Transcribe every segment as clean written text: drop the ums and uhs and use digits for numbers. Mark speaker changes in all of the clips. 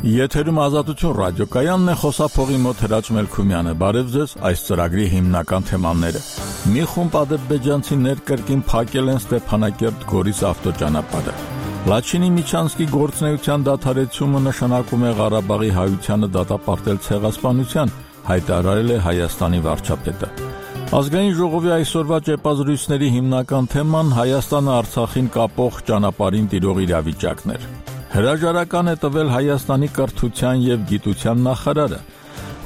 Speaker 1: Եթերում Ազատություն ռադիոկայանն է, խոսափողի մոտ Հրաչ Մելքումյանը։ Բարև ձեզ, այս ծրագրի հիմնական թեմաները։ Մի խումբ ադրբեջանցիներ կրկին փակել են Ստեփանակերտ-Գորիս ավտոճանապարհը։ Լաչինի Միչանսկի գործունեության դադարեցումը նշանակում է Ղարաբաղի հայությանը դատապարտել ցեղասպանության, հայտարարել է Հայաստանի վարչապետը։ Ազգային ժողովի այսօրվա ճեպազրույցների հիմնական թեման Հայաստանը Արցախին կապող ճանապարհին տիրող իրավիճակն էր։ Հրաժարական է տվել Հայաստանի կրթության եւ գիտության նախարարը։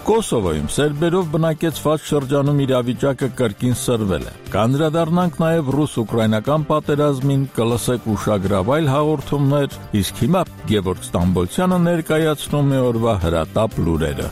Speaker 1: Կոսովոյում սերբերով բնակեցված շրջանում իրավիճակը կրկին սրվել է։ Կանդրադառնանք նաեւ ռուս-ուկրաինական պատերազմին, կլսեք ուշագրավ այլ հաղորդումներ, իսկ հիմա Գևորգ Ստամբոլցյանը ներկայացնում է օրվա հրատապ լուրերը։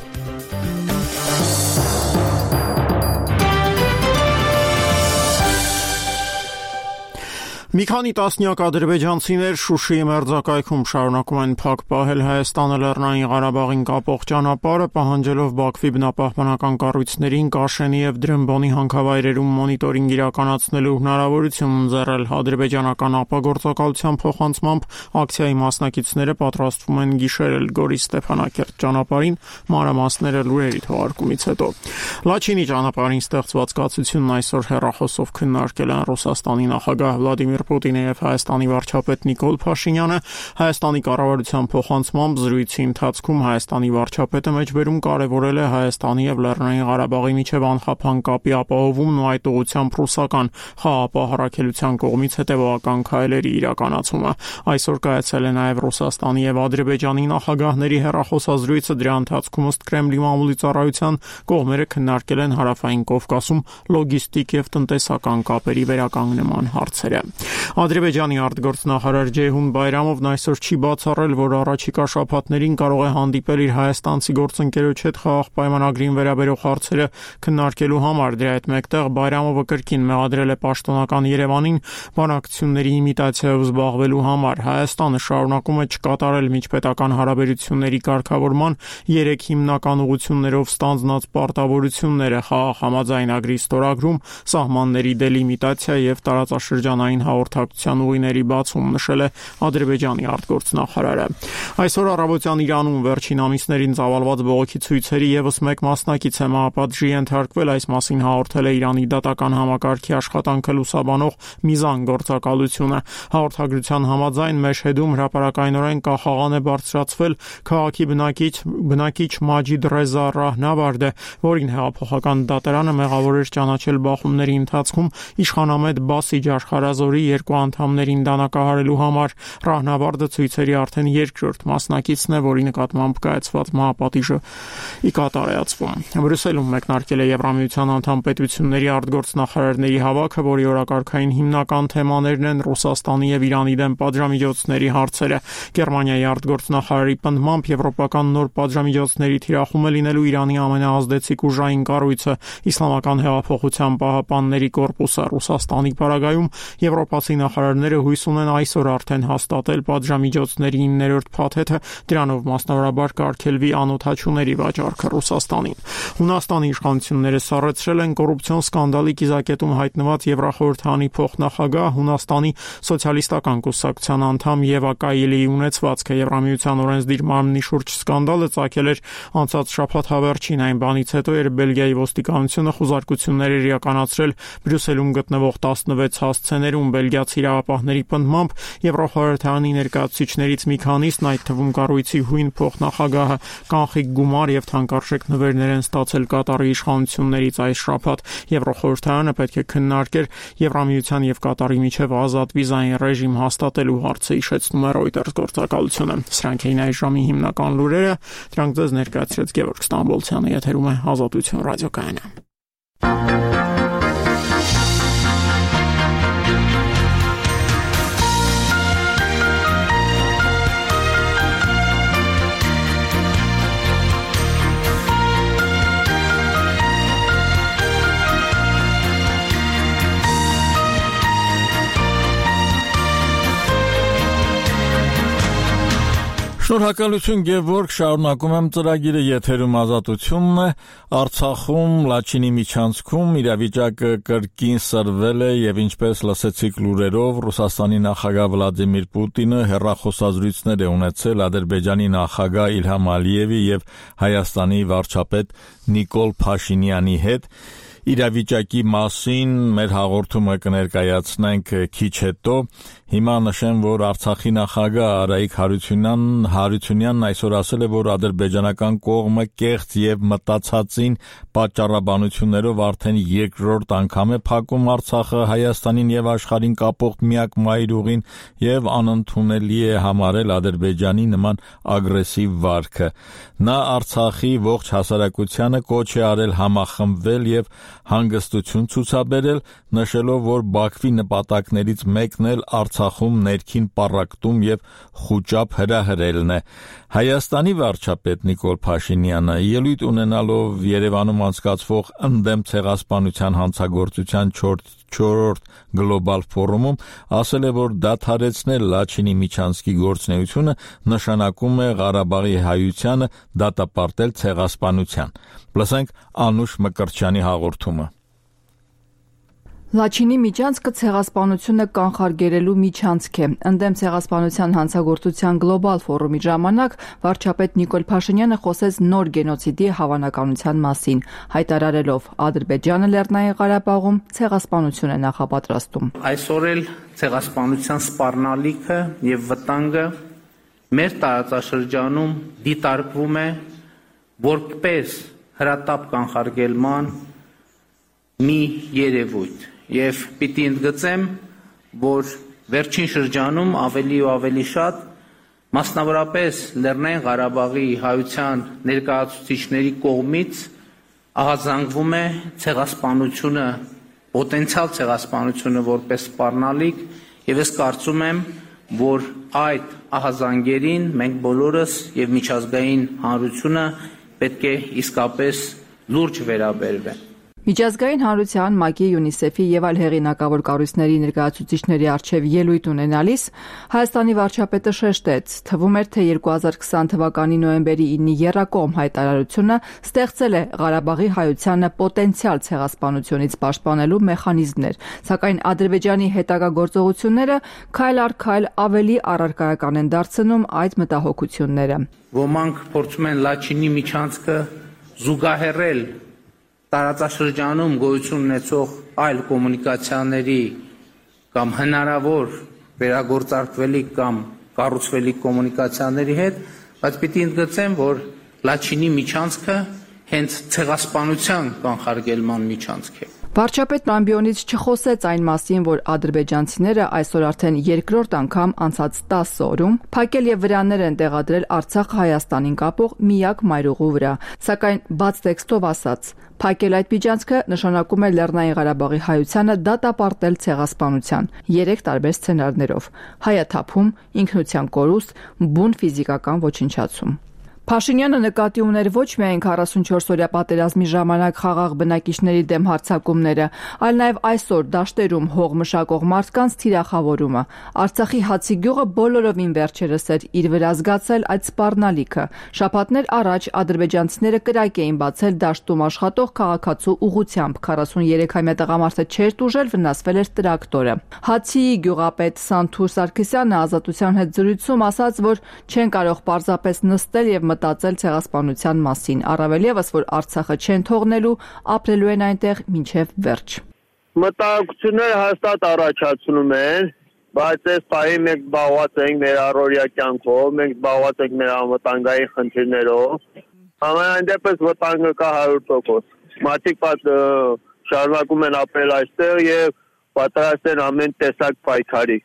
Speaker 2: Մի քանի տասնյակ ադրբեջանցիներ Շուշիի մերձակայքում շարունակում են փակ պահել Հայաստանը Լեռնային Ղարաբաղին կապող ճանապարհը, պահանջելով Բաքվի բնապահպանական կառույցներին Կաշենի եւ Դրամբոնի հանքավայրերում մոնիտորինգ իրականացնելու հնարավորություն ընձեռել։ Ադրբեջանական ապագործակալության փոխանցմամբ ակցիայի մասնակիցները պատրաստվում են գիշերել Գորիս-Ստեփանակերտ ճանապարհին, մանրամասները լուրերի թողարկումից հետո։ Լաչինի ճանապարհին ստեղծված կացությունն այսօր հեռախոսով քննարկել են Ռուսաստանի նախագահ Վլադիմիր Պուտինը եւ Հայաստանի վարչապետ Նիկոլ Փաշինյանը։ Հայաստանի կառավարության փոխանցմամբ զրույցի ընթացքում Հայաստանի վարչապետը մեջբերում կարևորել է Հայաստանի եւ Լեռնային Ղարաբաղի միջև անխափան կապի ապահովումն ու այդ ուղղությամբ ռուսական խաղաղապահ առաքելության կողմից հետեւական քայլերի իրականացումը։ Այսօր կայացել է նաեւ Ռուսաստանի եւ Ադրբեջանի նախագահների հեռախոսազրույցը, դրա ընթացքում ըստ Կրեմլի մամուլի ծառայության կողմերը քննարկել են Հարավային Կովկասում լոգիստիկ եւ տնտեսական կապերի վերականգնման հարցերը։ Ադրբեջանի արտգործնախարար Ջեյհուն Բայրամովն այսօր չի բացառել, որ առաջիկա շաբաթներին կարող է հանդիպել իր հայաստանցի գործընկերոջ հետ խաղաղ պայմանագրին վերաբերող հարցերը քննարկելու համար։ Դրա հետ մեկտեղ Բայրամովը կրկին մեղադրել է պաշտոնական Երևանին բանակցությունների իմիտացիայով զբաղվելու համար։ Հայաստանը շարունակում է չկատարել միջպետական հարաբերությունների կարգավորման 3 հիմնական ուղղություններով ստանձնած պարտավորությունները՝ խաղաղ համաձայնագրի ստորագրում, սահմանների դելիմիտացիա եւ տարածաշրջանային հաղորդակցության ուղիների բացում, նշել է Ադրբեջանի արտգործնախարարը։ Այսօր առավոտյան Իրանում վերջին ամիսներին ծավալված բողոքի ցույցերի եւս մեկ մասնակից է մահապատժի ենթարկվել, այս մասին հաղորդել է Իրանի դատական համակարգի աշխատանքը լուսաբանող Միզան գործակալությունը։ Հաղորդագրության համաձայն Մեշհեդում հրապարակայնորեն կախաղան է բարձրացվել քաղաքի բնակիչ Մաջիդ Ռեզա Ռահնավարդը, որին հեղափոխական դատարանը մեղավոր էր ճանաչել բախումների ընթացքում իշխանամետ Բասիջ Աշխարհազորի 2 անդամներին դանակահարելու համար։ Ռահնավարդը ցույցերի արդեն երկրորդ մասնակիցն է, որի նկատմամբ կայացված մահապատիժը ի կատար է ածվում։ Բրյուսելում մեկնարկել է Եվրամիության անդամ պետությունների արտգործնախարարների հավաքը, որի օրակարգային հիմնական թեմաներն են Ռուսաստանի եւ Իրանի դեմ պատժամիջոցների հարցերը։ Գերմանիայի արտգործնախարարի պնդմամբ եվրոպական նոր պատժամիջոցների թիրախում է լինելու Իրանի ամենաազդեցիկ ուժային կառույցը՝ Իսլամական հեղափոխության պահապանների կորպուսը։ Ռուսաստանի պարագայում եվրոպացի նախարարները հույս ունեն այսօր արդեն հաստատել պատժամիջոցների 9-րդ փաթեթը, դրանով մասնավորաբար կարգելվի անօթաչուների վաճառքը Ռուսաստանին։ Հունաստանի իշխանությունները սառեցրել են կոռուպցիոն սկանդալի կիզակետում հայտնված Եվրախորհրդանի փոխնախագահ Հունաստանի սոցիալիստական կուսակցության անդամ Եվա Կայիլիի ունեցվածքը։ Եվրամիության օրենսդիր մարմնի շուրջ սկանդալը ծագել էր անցած շաբաթ հավերժին, այն բանից հետո, երբ Բելգիայի ոստիկանությունը խուզարկություններ էր իրականացրել Բրյուսելում գտնվող 16 հասցեներում։ Բելգիացի իրավապահների պնդմամբ Եվրոխորհրդանի ներկայացուցիչներից մի քանիսն, այդ թվում կառույցի հույն փոխնախագահը, կանխիկ գումար եւ թանկարժեք նվերներ են ստացել Կատարի իշխանություններից այս շաբաթ։ Եվրոխորհրդանը պետք է քննարկեր Եվրամիության եւ Կատարի միջև ազատ վիզային ռեժիմ հաստատելու հարցը, հիշեցնում է Reuters գործակալությունը։ Սրանք էին այս ժամի հիմնական լուրերը, դրանք ձեզ ներկայացրեց Գևորգ Ստամբոլցյանը, եթերում է Ազատություն ռադիոկայանը։
Speaker 1: Շնորհակալություն Գևորգ, շարունակում եմ ծրագիրը, եթերում Ազատությունն է։ Արցախում Լաչինի միջանցքում իրավիճակը կրկին սրվել է եւ ինչպես լսեցիք լուրերով, Ռուսաստանի նախագահ Վլադիմիր Պուտինը հեռախոսազրույցներ է ունեցել Ադրբեջանի նախագահ Իլհամ Ալիևի եւ Հայաստանի վարչապետ Նիկոլ Փաշինյանի հետ։ Իրավիճակի մասին մեր հաղորդումը կներկայացնենք քիչ հետո։ Հիմա նշեմ, որ Արցախի նախագահ Արայիկ Հարությունյանն այսօր ասել է, որ ադրբեջանական կողմը կեղծ եւ մտածածին պատճառաբանություններով արդեն երկրորդ անգամ է փակում Արցախը Հայաստանին եւ աշխարհին կապող միակ մայրուղին եւ անընդունելի է համարել Ադրբեջանի նման ագրեսիվ վարքը։ Նա Արցախի ողջ հասարակությանը կոչ է արել համախմբվել եւ հանգստություն ցուցաբերել, նշելով, որ Բաքվի նպատակներից մեկն էլ Արցախում ներքին պառակտում եւ խուճապ հրահրելն է։ Հայաստանի վարչապետ Նիկոլ Փաշինյանը ելույթ ունենալով Երևանում անցկացվող ընդդեմ ցեղասպանության հանցագործության 4-րդ գլոբալ ֆորումում ասել է, որ դադարեցնել Լաչինի միջանցքի գործունեությունը նշանակում է Ղարաբաղի հայությանը դատապարտել ցեղասպանության։ Լսենք Անուշ Մկրտչյանի հաղորդումը։
Speaker 3: Լաչինի միջանցքը ցեղասպանությունը կանխարգելելու միջանցք է։ Ընդդեմ ցեղասպանության հանցագործության գլոբալ ֆորումի ժամանակ վարչապետ Նիկոլ Փաշինյանը խոսեց նոր գենոցիդի հավանականության մասին, հայտարարելով Ադրբեջանը Լեռնային Ղարաբաղում ցեղասպանություն է նախապատրաստում։
Speaker 4: Այսօր էլ ցեղասպանության սպառնալիքը եւ վտանգը մեր տարածաշրջանում դիտարկվում է որպես հրատապ կանխարգելման մի երևույթ եւ պիտի ընդգծեմ, որ վերջին շրջանում ավելի ու ավելի շատ մասնավորապես Լեռնային Ղարաբաղի հայության ներկայացուցիչների կողմից ահազանգվում է ցեղասպանությունը, պոտենցիալ ցեղասպանությունը որպես սպառնալիք եւ ես կարծում եմ, որ այդ ահազանգերին մենք բոլորս եւ միջազգային հանրությունը պետք է իսկապես լուրջ վերաբերվեն։
Speaker 3: Միջազգային հանրության, ՄԱԿ-ի, ՅՈՒՆԻՍԵՖ-ի եւ այլ հեղինակավոր կառույցների ներկայացուցիչների առջեւ ելույթ ունենալիս Հայաստանի վարչապետը շեշտեց, թվում էր, թե 2020 թվականի նոյեմբերի 9-ի եռակողմ հայտարարությունը ստեղծել է Ղարաբաղի հայությանը պոտենցիալ ցեղասպանությունից պաշտպանելու մեխանիզմներ, սակայն Ադրբեջանի հետագա գործողությունները քայլ առ քայլ ավելի առարկայական են դարձնում այդ մտահոգությունները։
Speaker 4: Ոմանք փորձում են Լաչինի միջանցքը զուգահեռել տարածաշրջանում գոյություն ունեցող այլ կոմունիկացիաների կամ հնարավոր վերագործարկվելիք կամ կառուցվելիք կոմունիկացիաների հետ, բայց պիտի ընդգծեմ, որ Լաչինի միջանցքը հենց ցեղասպանության կանխարգելման միջանցք է։
Speaker 3: Վարչապետն ամբիոնից չխոսեց այն մասին, որ ադրբեջանցիները այսօր արդեն երկրորդ անգամ անցած 10 օրում փակել եւ վրաններ են տեղադրել Արցախը Հայաստանին կապող միակ մայրուղու վրա, սակայն բաց տեքստով ասած, փակել այդ միջանցքը նշանակում է Լեռնային Ղարաբաղի հայությանը դատապարտել ցեղասպանության 3 տարբեր սցենարներով՝ հայաթափում, ինքնության կորուստ, բուն ֆիզիկական ոչնչացում։ Փաշինյանը նկատի ուներ ոչ միայն 44-օրյա պատերազմի ժամանակ խաղաղ բնակիչների դեմ հարձակումները, այլ նաև այսօր դաշտերում հող մշակող մարդկանց թիրախավորումը։ Արցախի Հացի գյուղը բոլորովին վերջերս էր իր վրա զգացել այդ սպառնալիքը։ Շաբաթներ առաջ ադրբեջանցիները կրակ էին բացել դաշտում աշխատող քաղաքացու ուղությամբ, 43-ամյա տղամարդը չէր տուժել, վնասվել էր տրակտորը։ Հացի գյուղապետ Սանթուր Սարգսյանը Ազատության հետ զրույցում ասաց, որ չեն կարող պարզապես նստել եւ մտածել ցեղասպանության մասին, առավել եւս, որ Արցախը չեն թողնելու, ապրելու են այնտեղ մինչեւ վերջ։
Speaker 5: Մտահոգությունները հաստատ առաջացնում են, բայց այս պահի մենք զբաղված ենք մեր առօրյա կյանքով, մենք զբաղված ենք մեր անվտանգային խնդիրներով։ Համենայն դեպս վտանգը կա 100%։ Մարդիկ շարունակում են ապրել այստեղ եւ պատրաստ են ամեն տեսակ պայքարի։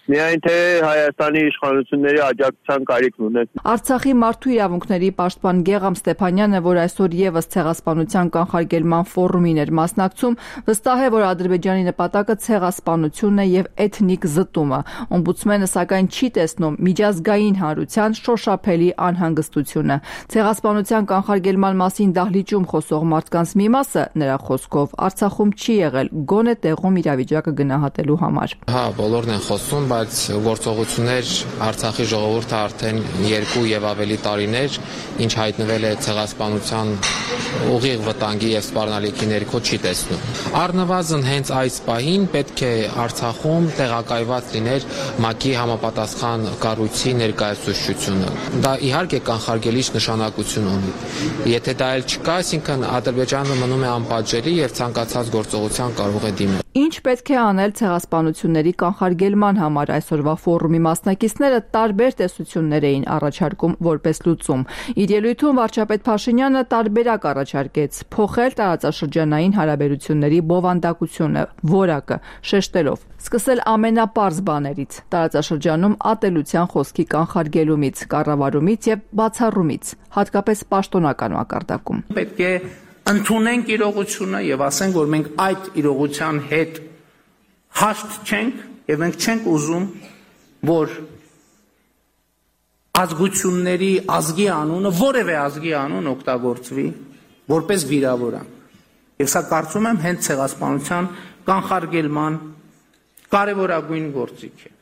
Speaker 5: Միայն թե Հայաստանի իշխանությունների աջակցության կարիք ունեն։
Speaker 3: Արցախի մարդու իրավունքների պաշտպան Գեգամ Ստեփանյանը, որ այսօր եւս ցեղասպանության կանխարգելման ֆորումին էր մասնակցում, վստահ է, որ Ադրբեջանի նպատակը ցեղասպանությունն է եւ էթնիկ զտումը։ Օմբուդսմենը սակայն չի տեսնում միջազգային հանրության շոշափելի անհանգստությունը։ Ցեղասպանության կանխարգելման մասին դահլիճում խոսող մարդկանց մի մասը, նրա խոսքով, Արցախում չի եղել գոնե տեղում իրավիճակը գնահատելու համար։
Speaker 6: Հա, բոլորն են խոսում, բայց գործողություններ Արցախի ժողովուրդը արդեն 2 եւ ավելի տարիներ, ինչ հայտնվել է ցեղասպանության ուղիղ վտանգի եւ սպառնալիքի ներքո չի տեսնում։ Առնվազն հենց այս պահին պետք է Արցախում տեղակայված լիներ ՄԱԿ-ի համապատասխան կառույցի ներկայացուցչությունը։ Դա իհարկե կանխարգելիչ նշանակություն ունի։ Եթե դա էլ չկա, այսինքն Ադրբեջանը մնում է անպատժելի եւ ցանկացած գործողության կարող է դիմել։
Speaker 3: Ինչ պետք է անել ցեղասպանությունների կանխարգելման համար այսօրվա ֆորումի մասնակիցները տարբեր տեսություններ էին առաջարկում որպես լուծում։ Իր ելույթում վարչապետ Փաշինյանը տարբերակ առաջարկեց փոխել տարածաշրջանային հարաբերությունների բովանդակությունը, որակը, շեշտելով սկսել ամենապարզ բաներից՝ տարածաշրջանում ատելության խոսքի կանխարգելումից, կառավարումից եւ բացառումից, հատկապես պաշտոնական մակարդակում։
Speaker 4: Պետք է ընդունենք իրողությունը եւ ասենք, որ մենք այդ իրողության հետ հաշտ չենք եւ մենք չենք ուզում, որ ազգությունների ազգի անունը, որևէ ազգի անուն օգտագործվի որպես վիրավորանք։ Եվ սա կարծում եմ հենց ցեղասպանության կանխարգելման կարևորագույն գործիք է։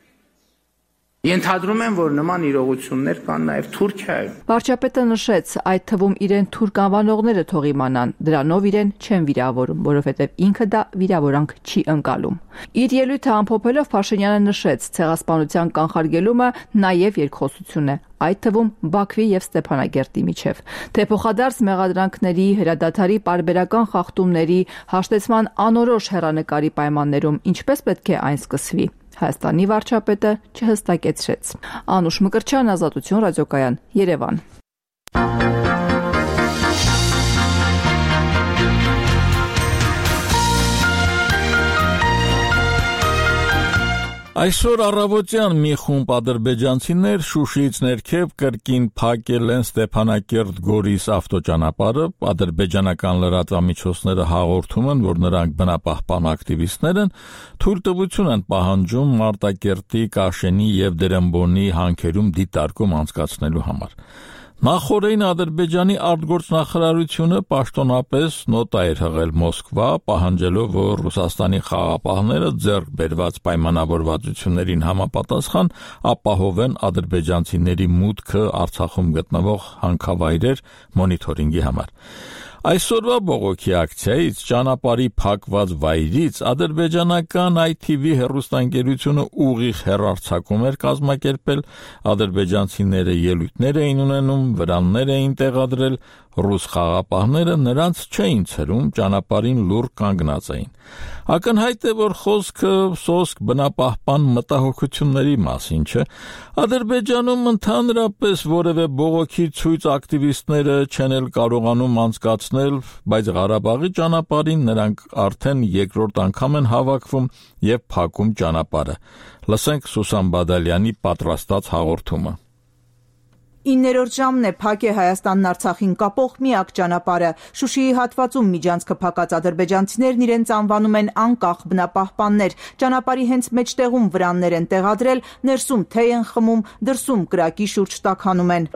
Speaker 4: Ենթադրում եմ, որ նման իրողություններ կան նաև Թուրքիայում։
Speaker 3: Վարչապետը նշեց, այդ թվում իրեն թուրք անվանողները թող իմանան, դրանով իրեն չեն վիրավորում, որովհետև ինքը դա վիրավորանք չի ընկալում։ Իր ելույթը ամփոփելով Փաշինյանը նշեց, ցեղասպանության կանխարգելումը նաև երկխոսություն է, այդ թվում Բաքվի եւ Ստեփանագերտի միջև։ Թե փոխադարձ մեղադրանքների, հրադադարի պարբերական խախտումների, հաշտեցման անորոշ հեռանկարի պայմաններում ինչպես պետք է այն սկսվի։ Հայաստանի վարչապետը չհստակեցրեց։ Անուշ Մկրտչյան, Ազատություն ռադիոկայան, Երևան։
Speaker 1: Այսօր առավոտյան մի խումբ ադրբեջանցիներ Շուշիից ներքև կրկին փակել են Ստեփանակերտ-Գորիս ավտոճանապարհը։ Ադրբեջանական լրատվամիջոցները հաղորդում են, որ նրանք բնապահպան ակտիվիստներ են, թույլտվություն են պահանջում Մարտակերտի, Կաշենի եւ Դերեմբոնի հանքերում դիտարկում անցկացնելու համար։ Նախորդին Ադրբեջանի արտգործնախարարությունը պաշտոնապես նոտա էր հղել Մոսկվա, պահանջելով, որ Ռուսաստանի խաղապահները ձեռք բերված պայմանավորվածություններին համապատասխան ապահովեն ադրբեջանցիների մուտքը Արցախում գտնվող հանքավայրեր մոնիթորինգի համար։ Այսօրվա բողոքի ակցիայից ճանապարհի փակված վայրից ադրբեջանական ITV հեռուստաընկերությունը ուղիղ հեռարձակում էր կազմակերպել, ադրբեջանցիները ելույթներ էին ունենում, վրաններ էին տեղադրել, ռուս խաղապահները նրանց չէին ցրում, ճանապարհին լուռ կանգնած էին։ Ակնհայտ է, որ խոսքը սոսկ բնապահպան մտահոգությունների մասին չէ։ Ադրբեջանում ընդհանրապես որևէ բողոքի ցույց ակտիվիստները չեն էլ կարողանում անցկացնել, բայց Ղարաբաղի ճանապարհին նրանք արդեն երկրորդ անգամ են հավաքվում եւ փակում ճանապարհը։ Լսենք Սուսան Բադալյանի պատրաստած հաղորդումը։
Speaker 7: 9-րդ ժամն է փակ է Հայաստանն Արցախին կապող միակ ճանապարհը։ Շուշիի հատվածում միջանցքը փակած ադրբեջանցիներն իրենց անվանում են անկախ բնապահպաններ։ Ճանապարհի հենց մեջտեղում վրաններ են տեղադրել, ներսում թեյ են խմում, դրսում կրակի շուրջ տաքանում են։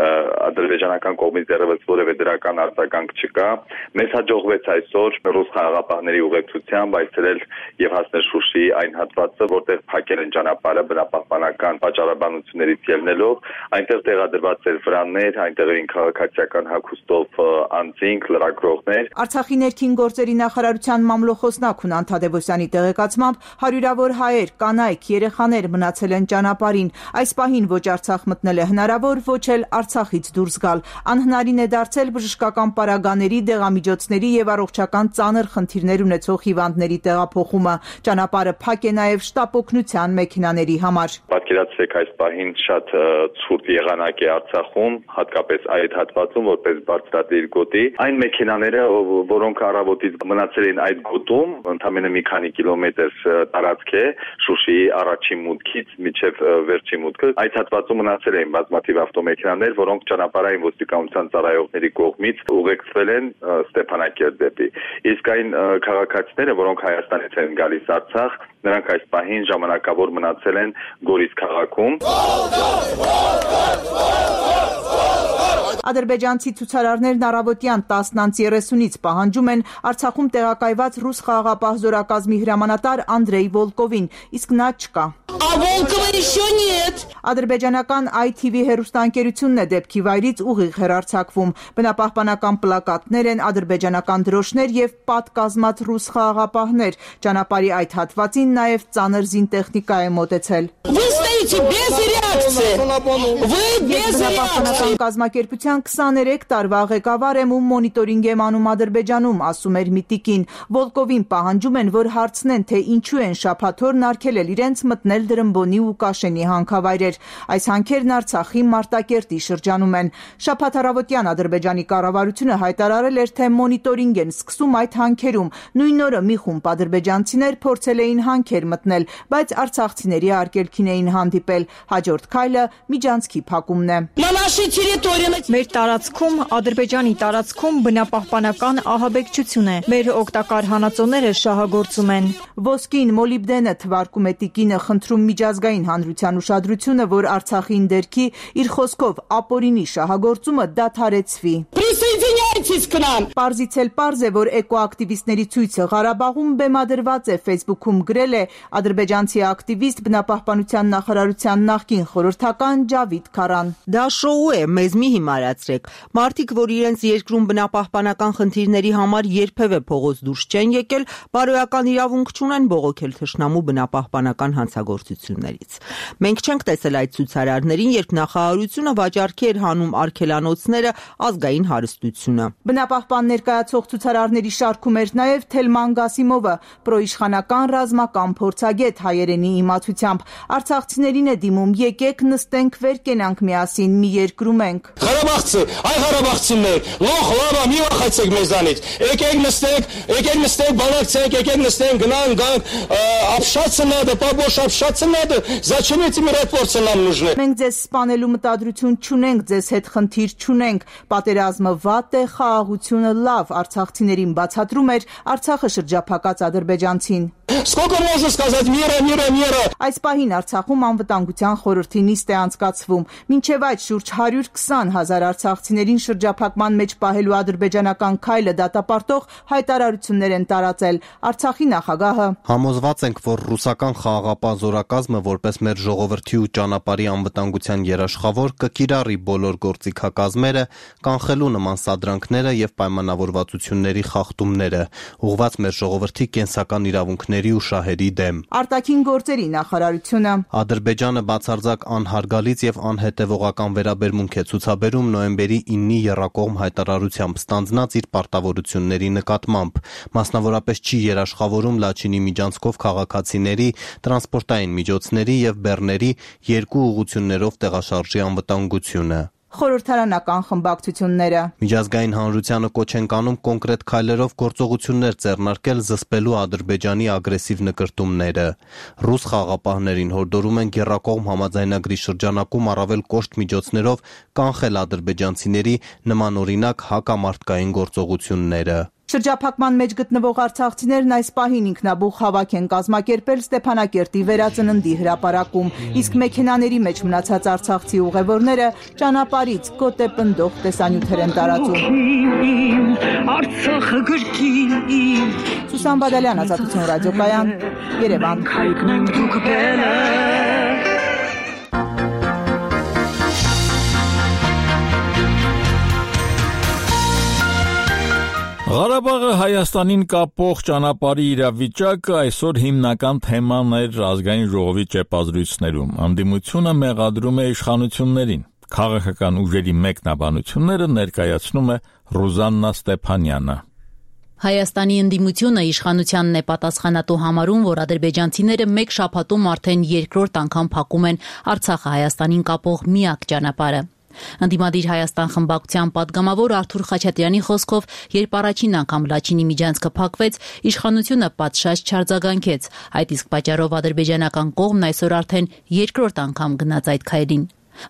Speaker 8: Ադրբեջանական կողմից դեռևս որևէ դրական արձագանք չկա։ Մեզ հաջողվեց այսօր ռուս խաղաղապահների ուղեկցությամբ այցելել եւ հասնել Շուշիի այն հատվածը, որտեղ փակել են ճանապարհը բնապահպանական պատճառաբանություններից ելնելով, այնտեղ տեղադրված էր վրաններ, այնտեղ էին քաղաքացիական հագուստով անձինք, լրագրողներ։
Speaker 7: Արցախի ներքին գործերի նախարարության մամլոխոսնակ Հունան Թադևոսյանի տեղեկացմամբ հարյուրավոր հայեր, կանայք, երեխաներ մնացել են ճանապարհին։ Այս պահին ոչ Արցախ մտնել է հնարավոր, ոչ էլ Արցախից դուրս գալ։ Անհնարին է դարձել բժշկական պարագաների, դեղամիջոցների եւ առողջական ծանր խնդիրներ ունեցող հիվանդների տեղափոխումը։ Ճանապարհը փակ է նաեւ շտապ օգնության մեքենաների համար։
Speaker 8: Պատկերացրեք, այս պահին շատ ցուրտ եղանակ է Արցախում, հատկապես այդ հատվածում, որպես բարձրադիր գոտի։ Այն մեքենաները, որոնք առավոտից մնացել են այդ գոտում, ընդամենը մի քանի կիլոմետր տարածք է Շուշիի առաջին մուտքից մինչև վերջի մուտքը, այդ հատվածում մնացել են բազմաթիվ ավտոմեքենաներ, որոնք ճանապարհային ոստիկանության ծառայողների կողմից ուղեկցվել են Ստեփանակերտ դեպի։ Իսկ այն քաղաքացիները, որոնք Հայաստանից են գալիս Արցախ, նրանք այս պահին ժամանակավոր մնացել են Գորիս քաղաքում։
Speaker 7: Ադրբեջանցի ցուցարարներն առավոտյան 10:30-ից պահանջում են Արցախում տեղակայված ռուս խաղաղապահ զորակազմի հրամանատար Անդրեյ Վոլկովին, իսկ նա չկա։ Ադրբեջանական ITV հեռուստաընկերությունն է դեպքի վայրից ուղիղ հեռարձակվում։ Բնապահպանական պլակատներ են, ադրբեջանական դրոշներ եւ պատկազմած ռուս խաղաղապահներ։ Ճանապարհի այդ հատվածին նաեւ ծանր զինտեխնիկա է մոտեցել։ Բնապահպանական կազմակերպության 23 տարվա ղեկավար եմ ու մոնիտորինգ եմ անում Ադրբեջանում, ասում էր Միտիկին։ Վոլկովին պահանջում են, որ հարցնեն, թե ինչու են շաբաթօրն արգելել իրենց մտնել Դրմբոնի ու Կաշենի հանքավայրեր։ Այս հանքերն Արցախի Մարտակերտի շրջանում են։ Շաբաթ առավոտյան Ադրբեջանի կառավարությունը հայտարարել էր, թե մոնիտորինգ են սկսում այդ հանքերում։ Նույն օրը մի խումբ ադրբեջանցիներ փորձել էին հանքեր մտնել, բայց արցախցիների արգելքին էին հանդիպել։ Հաջորդ քայլը միջանցքի փակումն է։
Speaker 9: Մեր տարածքում, Ադրբեջանի տարածքում բնապահպանական ահաբեկչություն է։ Մեր օգտակար հանածոները շահագործում են։
Speaker 7: Ոսկին, մոլիբդենը թվարկում է տիկինը, խնդրում միջազգային հանրության ուշադրությունը, որ Արցախին դերքի իր խոսքով ապօրինի շահագործումը դադարեցվի։ Պարզից էլ պարզ է, որ էկոակտիվիստների ցույցը Ղարաբաղում բեմադրված է, Facebook-ում գրել է ադրբեջանցի ակտիվիստ բնապահպանության նախարարության նախկին խորհրդական Ջավիդ Քարան։
Speaker 10: Դա շոու է, մեզ մի հիմարացրեք։ Մարդիկ, որ իրենց երկրում բնապահպանական խնդիրների համար երբևէ փողոց դուրս չեն եկել, բարոյական իրավունք չունեն բողոքել թշնամու բնապահպանական հանցագործություններից։ Մենք չենք տեսել այդ ցուցարարներին, երբ նախարարությունը վաճառքի էր հանում արգելանոցները, ազգային հարստությունը։
Speaker 7: Բնապահպան ներկայացող ցուցարարների շարքում էր նաև Թելման Գասիմովը, պրոիշխանական ռազմական փորձագետ հայերենի իմացությամբ։ Արցախցիներին է դիմում՝ եկեք նստենք վեր կենանք միասին, մի երկրում ենք։
Speaker 11: Ղարաբաղցի, այ ղարաբաղցիներ, լոխ լավա մի վախեցեք մեզանից։ Եկեք նստենք, բանակցենք, եկեք նստենք, գնանք, общаться надо, побольше общаться надо. Зачем эти миротворцы нам нужны?
Speaker 7: Մենք ձեզ սպանելու մտադրություն չունենք, ձեզ հետ խնդիր չունենք։ Պատերազմը վատ է, խաղաղությունը լավ, արցախցիներին բացատրում էր Արցախը շրջափակած ադրբեջանցին։
Speaker 11: Сколько можно сказать мира.
Speaker 7: Այս պահին Արցախում անվտանգության խորհրդի նիստ է անցկացվում։ Մինչև այդ շուրջ 120,000 արցախցիներին շրջափակման մեջ պահելու ադրբեջանական քայլը դատապարտող հայտարարություններ են տարածել։ Արցախի նախագահը
Speaker 12: համոզված ենք, որ ռուսական խաղաղապահ զորակազմը որպես մեր ժողովրդի ու ճանապարհի անվտանգության երաշխավոր կկիրառի բոլոր գործիքակազմերը, կանխելու նման սադրանքները եւ պայմանավորվածությունների խախտումները, ուղղված մեր ժողովրդի կենսական իրավունքների ու շահերի դեմ։
Speaker 7: Արտաքին գործերի նախարարությունը
Speaker 12: Ադրբեջանը բացարձակ անհարգալից եւ անհետեւողական վերաբերմունք է ցուցաբերում նոյեմբերի 9-ի եռակողմ հայտարարությամբ ստանձնած իր պարտավորությունների նկատմամբ, մասնավորապես չի երաշխավորում Լաչինի միջանցքով քաղաքացիների, տրանսպորտային միջոցների եւ բեռների երկու ուղղություններով տեղաշարժի անվտանգությունը։
Speaker 7: Խորհրդարանական խմբակցությունները
Speaker 12: Միջազգային հանրությանը կոչ են կանում կոնկրետ քայլերով գործողություններ ձեռնարկել զսպելու Ադրբեջանի ագրեսիվ նկրտումները։ Ռուս խաղաղապահներին հորդորում են եռակողմ համաձայնագրի շրջանակում առավել կոշտ միջոցներով կանխել ադրբեջանցիների նմանօրինակ հակամարտկային գործողությունները։
Speaker 7: Շրջափակման մեջ գտնվող արցախցիներն այս պահին ինքնաբուխ հավաք են կազմակերպել Ստեփանակերտի վերածննդի հրապարակում, իսկ մեքենաների մեջ մնացած արցախցի ուղևորները ճանապարհից գոտեպնդող տեսանյութեր են տարածում։ Արցախը գրքին իմ Սուսան Բադալյան, Ազատություն ռադիոկայան, Երևան։
Speaker 1: Ղարաբաղը Հայաստանին կապող ճանապարհի իրավիճակը այսօր հիմնական թեման էր ազգային ժողովի ճեպազրույցներում։ Անդիմությունը մեղադրում է իշխանություններին։ Քաղաքական ուժերի մեկնաբանությունները ներկայացնում է Ռուզաննա Ստեփանյանը։
Speaker 13: Հայաստանի ընդդիմությունը իշխանությանն է պատասխանատու համարում, որ ադրբեջանցիները մեկ շաբաթում արդեն երկրորդ անգամ փակում են Արցախը Հայաստանին կապող միակ ճանապարհը։ Ընդդիմադիր Հայաստան խմբակցության падգամավոր Արթուր Խաչատրյանի խոսքով, երբ առաջին անգամ Լաչինի միջանցքը փակվեց, իշխանությունը պատշաճ չարձագանքեց, այդ իսկ պատճառով ադրբեջանական կողմն այսօր արդեն երկրորդ անգամ գնաց այդ քայլին։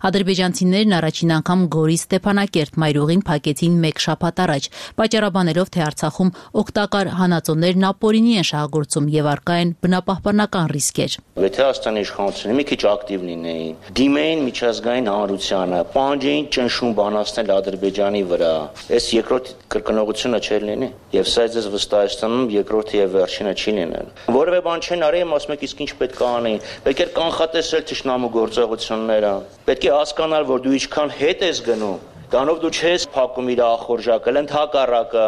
Speaker 13: Ադրբեջանցիներն առաջին անգամ Գորիս Ստեփանակերտ մայրուղին փակեցին մեկ շաբաթ առաջ, պատճառաբանելով, թե Արցախում օգտակար հանածոներն ապօրինի են շահագործում եւ առկա են բնապահպանական ռիսկեր։
Speaker 14: Եթե Հայաստանի իշխանությունները մի քիչ ակտիվ լինեին, դիմեին միջազգային հանրությանը, պահանջեին ճնշում բանացնել Ադրբեջանի վրա, այս երկրորդ կրկնողությունը չէր լինի, եւ սա ձեզ վստահեցնում երկրորդը եւ վերջինը չի լինել։ Որևէ բան չեն արել, ասում եք իսկ ինչ պետք է անեին։ Պետք է կանխատեսել թշնամու գործողությունները։ Պետք է հասկանալ, որ դու ինչքան հետ ես գնում, դրանով դու չես փակում իր ախորժակը, ընդհակառակը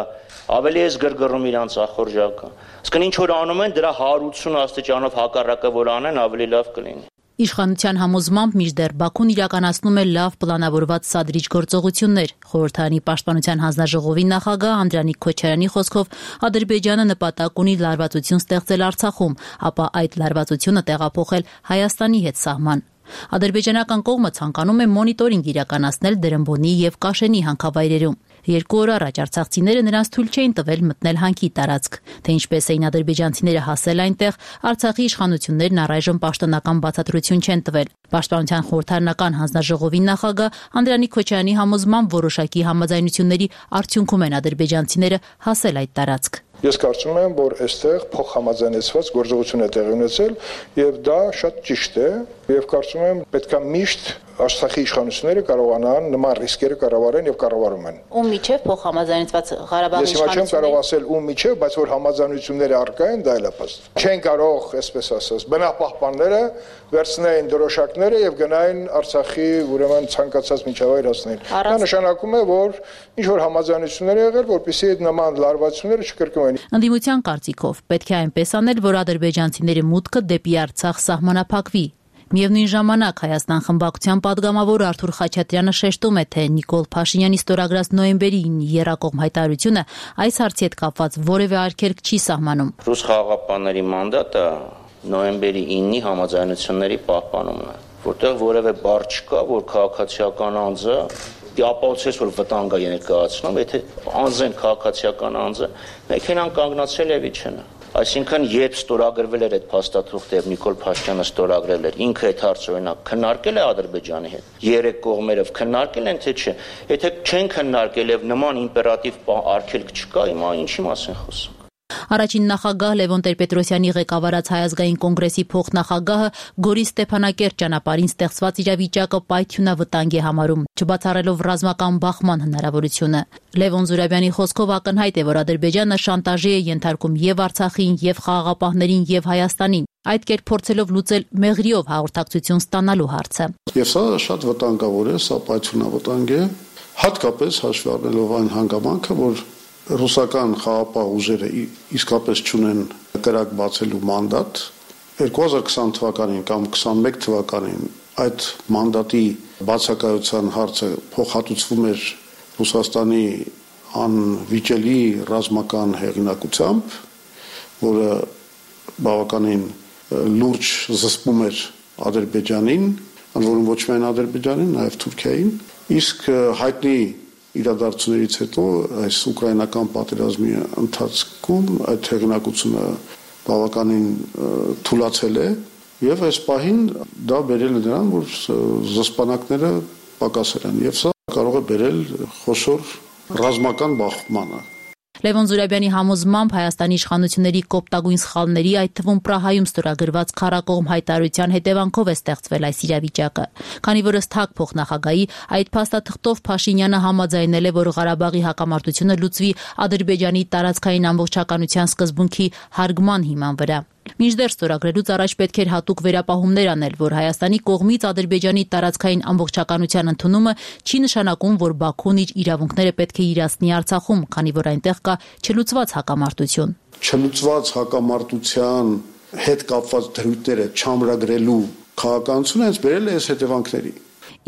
Speaker 14: ավելի ես գրգռում իրանց ախորժակը։ Իսկ ինչ որ անում են, դրա 180 աստիճանով հակառակը որ անեն, ավելի լավ կլինի։
Speaker 13: Իշխանության համոզմամբ մինչդեռ Բաքուն իրականացնում է լավ պլանավորված սադրիչ գործողություններ։ Խորհրդարանի պաշտպանության հանձնաժողովի նախագահ Անդրանիկ Քոչարյանի խոսքով Ադրբեջանը նպատակ ունի լարվածություն ստեղծել Արցախում, ապա այդ լարվածությունը տեղափոխել Հայաստանի հետ սահման։ Ադրբեջանական կողմը ցանկանում է մոնիտորինգ իրականացնել Դրամբոնի եւ Կաշենի հանքավայրերում։ 2 օր առաջ արցախցիները նրանց թույլ չէին տվել մտնել հանքի տարածք, թե ինչպես էին ադրբեջանցիները հասել այնտեղ, Արցախի իշխանություններն առայժմ պաշտոնական բացատրություն չեն տվել։ Պաշտպանության խորհրդարանական հանձնաժողովի նախագահ Անդրանիկ Քոչարյանի համոզմամբ որոշակի համաձայնությունների արդյունքում են ադրբեջանցիները հասել այդ տարածք։
Speaker 15: Ես կարծում եմ, որ այստեղ փոխհամաձայնեցված գործողություն է տեղի ունեցել եւ դա շատ ճիշտ է եւ կարծում եմ պետք է միշտ Արցախի իշխանությունները կարողանան նման ռիսկերը կառավարեն եւ կառավարում են։
Speaker 13: Ում միջև փոխհամաձայնեցված Ղարաբաղի
Speaker 15: իշխանությունները։ Ես հիմա չեմ կարող ասել ում միջև, բայց որ համաձայնությունները առկա են, դա էլ է փաստ։ Չեն կարող, այսպես ասած, բնապահպանները վերցնեին դրոշակները եւ գնային Արցախի ուրեմն ցանկացած միջավայր հասնեին։ Դա նշանակում է, որ ինչ որ համաձայնություններ եղել, որպեսզի այդ նման լարվածությունները չկրկնվեն։
Speaker 13: Ընդդիմության կարծիքով պետք է այնպես անել, որ ադրբեջանցիների մուտքը դեպի Արցախ սահմանափակվի։ Միևնույն ժամանակ Հայաստան խմբակցության падգամավոր Արթուր Խաչատրյանը շեշտում է, թե Նիկոլ Փաշինյանի ստորագրած նոյեմբերի 9-ի եռակողմ հայտարարությունը այս հարցի հետ կապված որևէ արգելք չի սահմանում։
Speaker 14: Ռուս խաղաղապահների մանդատը նոյեմբերի 9-ի համաձայնությունների պահպանումն է, որտեղ որևէ բառ չկա, որ քաղաքացիական անձը ապացուցես, որ վտանգ է ներկայացնում, եթե անձեն քաղաքացիական անձը մեքենան կանգնացել է իջանը։ Այսինքն, երբ ստորագրվել էր այդ փաստաթուղթը եւ Նիկոլ Փաշինյանը ստորագրել էր, ինքը այդ հարցը օրինակ քննարկել է Ադրբեջանի հետ։ Երեք կողմերով քննարկել են, թե չէ։ Եթե չեն քննարկել եւ նման իմպերատիվ արգելք չկա, հիմա ինչի մասին խոսում։
Speaker 13: Առաջին նախագահ Լևոն Տեր-Պետրոսյանի ղեկավարած Հայ ազգային կոնգրեսի փոխնախագահը Գորիս Ստեփանակերտ ճանապարհին ստեղծված իրավիճակը պայթյունավտանգ է համարում, չբացառելով ռազմական բախման հնարավորությունը։ Լևոն Զուրաբյանի խոսքով ակնհայտ է, որ Ադրբեջանը շանտաժի է ենթարկում եւ Արցախին, եւ խաղաղապահներին, եւ Հայաստանին, այդ կերպ փորձելով լուծել մեղրիով հաղորդակցություն ստանալու հարցը։
Speaker 16: Եվ սա շատ վտանգավոր է, սա պայթյունավտանգ է, հատկապես հաշվի առնելով այն հանգամանքը, որ ռուսական խաղապահ ուժերը իսկապես չունեն կրակ բացելու մանդատ 2020 թվականին կամ 21 թվականին այդ մանդատի բացակայության հարցը փոխհատուցվում էր Ռուսաստանի անվիճելի ռազմական հեղինակությամբ, որը բավականին լուրջ զսպում էր Ադրբեջանին, ընդ որում ոչ միայն Ադրբեջանին, նաև Թուրքիային, իսկ հայտնի իրադարձություններից հետո այս ուկրաինական պատերազմի ընթացքում այդ հեղինակությունը բավականին թուլացել է եւ այս պահին դա բերել է նրան, որ զսպանակները պակասել են եւ սա կարող է բերել խոշոր ռազմական բախմանը։
Speaker 13: Լևոն Զուրաբյանի համոզմամբ Հայաստանի իշխանությունների կոպտագույն սխալների, այդ թվում Պրահայում ստորագրված քառակողմ հայտարարության հետևանքով է ստեղծվել այս իրավիճակը։ Քանի որ ըստ ՀԱԿ փոխնախագահի այդ փաստաթղթով Փաշինյանը համաձայնել է, որ Ղարաբաղի հակամարտությունը լուծվի Ադրբեջանի տարածքային ամբողջականության սկզբունքի հարգման հիման վրա։ Մինչդեռ ստորագրելուց առաջ պետք էր հատուկ վերապահումներ անել, որ Հայաստանի կողմից Ադրբեջանի տարածքային ամբողջականության ընդունումը չի նշանակում, որ Բաքուն իր իրավունքները պետք է իրացնի Արցախում, քանի որ այնտեղ կա չլուծված հակամարտություն։
Speaker 16: Չլուծված հակամարտության հետ կապված դրույթները չամրագրելու քաղաքականությունը հենց բերել է այս հետևանքների։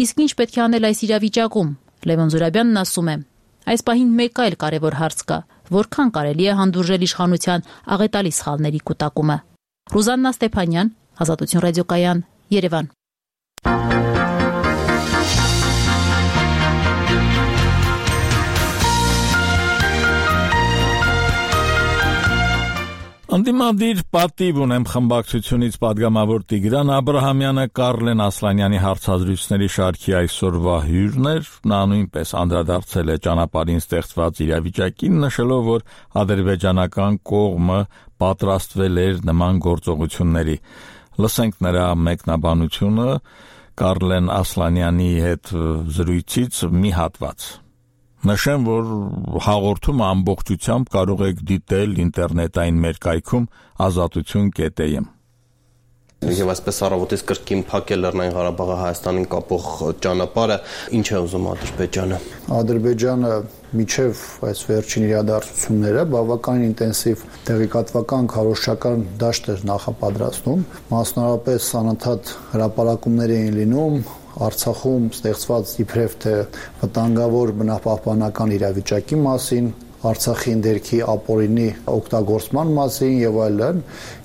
Speaker 13: Իսկ ինչ պետք է անել այս իրավիճակում։ Լևոն Զուրաբյանն ասում է. այս պահին մեկ այլ կարևոր հարց կա, որքան կարելի է հանդուրժել իշխանության աղետալի սխալների կուտակումը։ Ռուզաննա Ստեփանյան, Ազատություն ռադիոկայան, Երևան։
Speaker 1: Անդիմադիր պատիվ ունեմ խմբակցությունից падգամավոր Տիգրան Աբրահամյանը Կարլեն Ասլանյանի հարցազրույցների շարքի այսօրվա հյուրն էր, նա նույնպես անդրադարձել է ճանապարհին ստեղծված իրավիճակին, նշելով, որ ադրբեջանական կողմը պատրաստվել էր նման գործողությունների։ Լսենք նրա մեկնաբանությունը Կարլեն Ասլանյանի հետ զրույցից մի հատված։ Նշեմ, որ հաղորդումը ամբողջությամբ կարող եք դիտել ինտերնետային մեր կայքում azatutun.am։
Speaker 12: Եվ այսպես առավոտից կրկին փակել Լեռնային Ղարաբաղը Հայաստանին կապող ճանապարհը, ինչ է ուզում Ադրբեջանը։
Speaker 17: Ադրբեջանը միջև այս վերջին իրադարձությունները բավականին ինտենսիվ տեղեկատվական քարոզչական դաշտ էր նախապատրաստում, մասնավորապես անընդհատ հրապարակումներ էին լինում Արցախում ստեղծված իբրև թե վտանգավոր բնապահպանական իրավիճակի մասին, Արցախի դերքի ապօրինի օգտագործման մասին եւ այլն,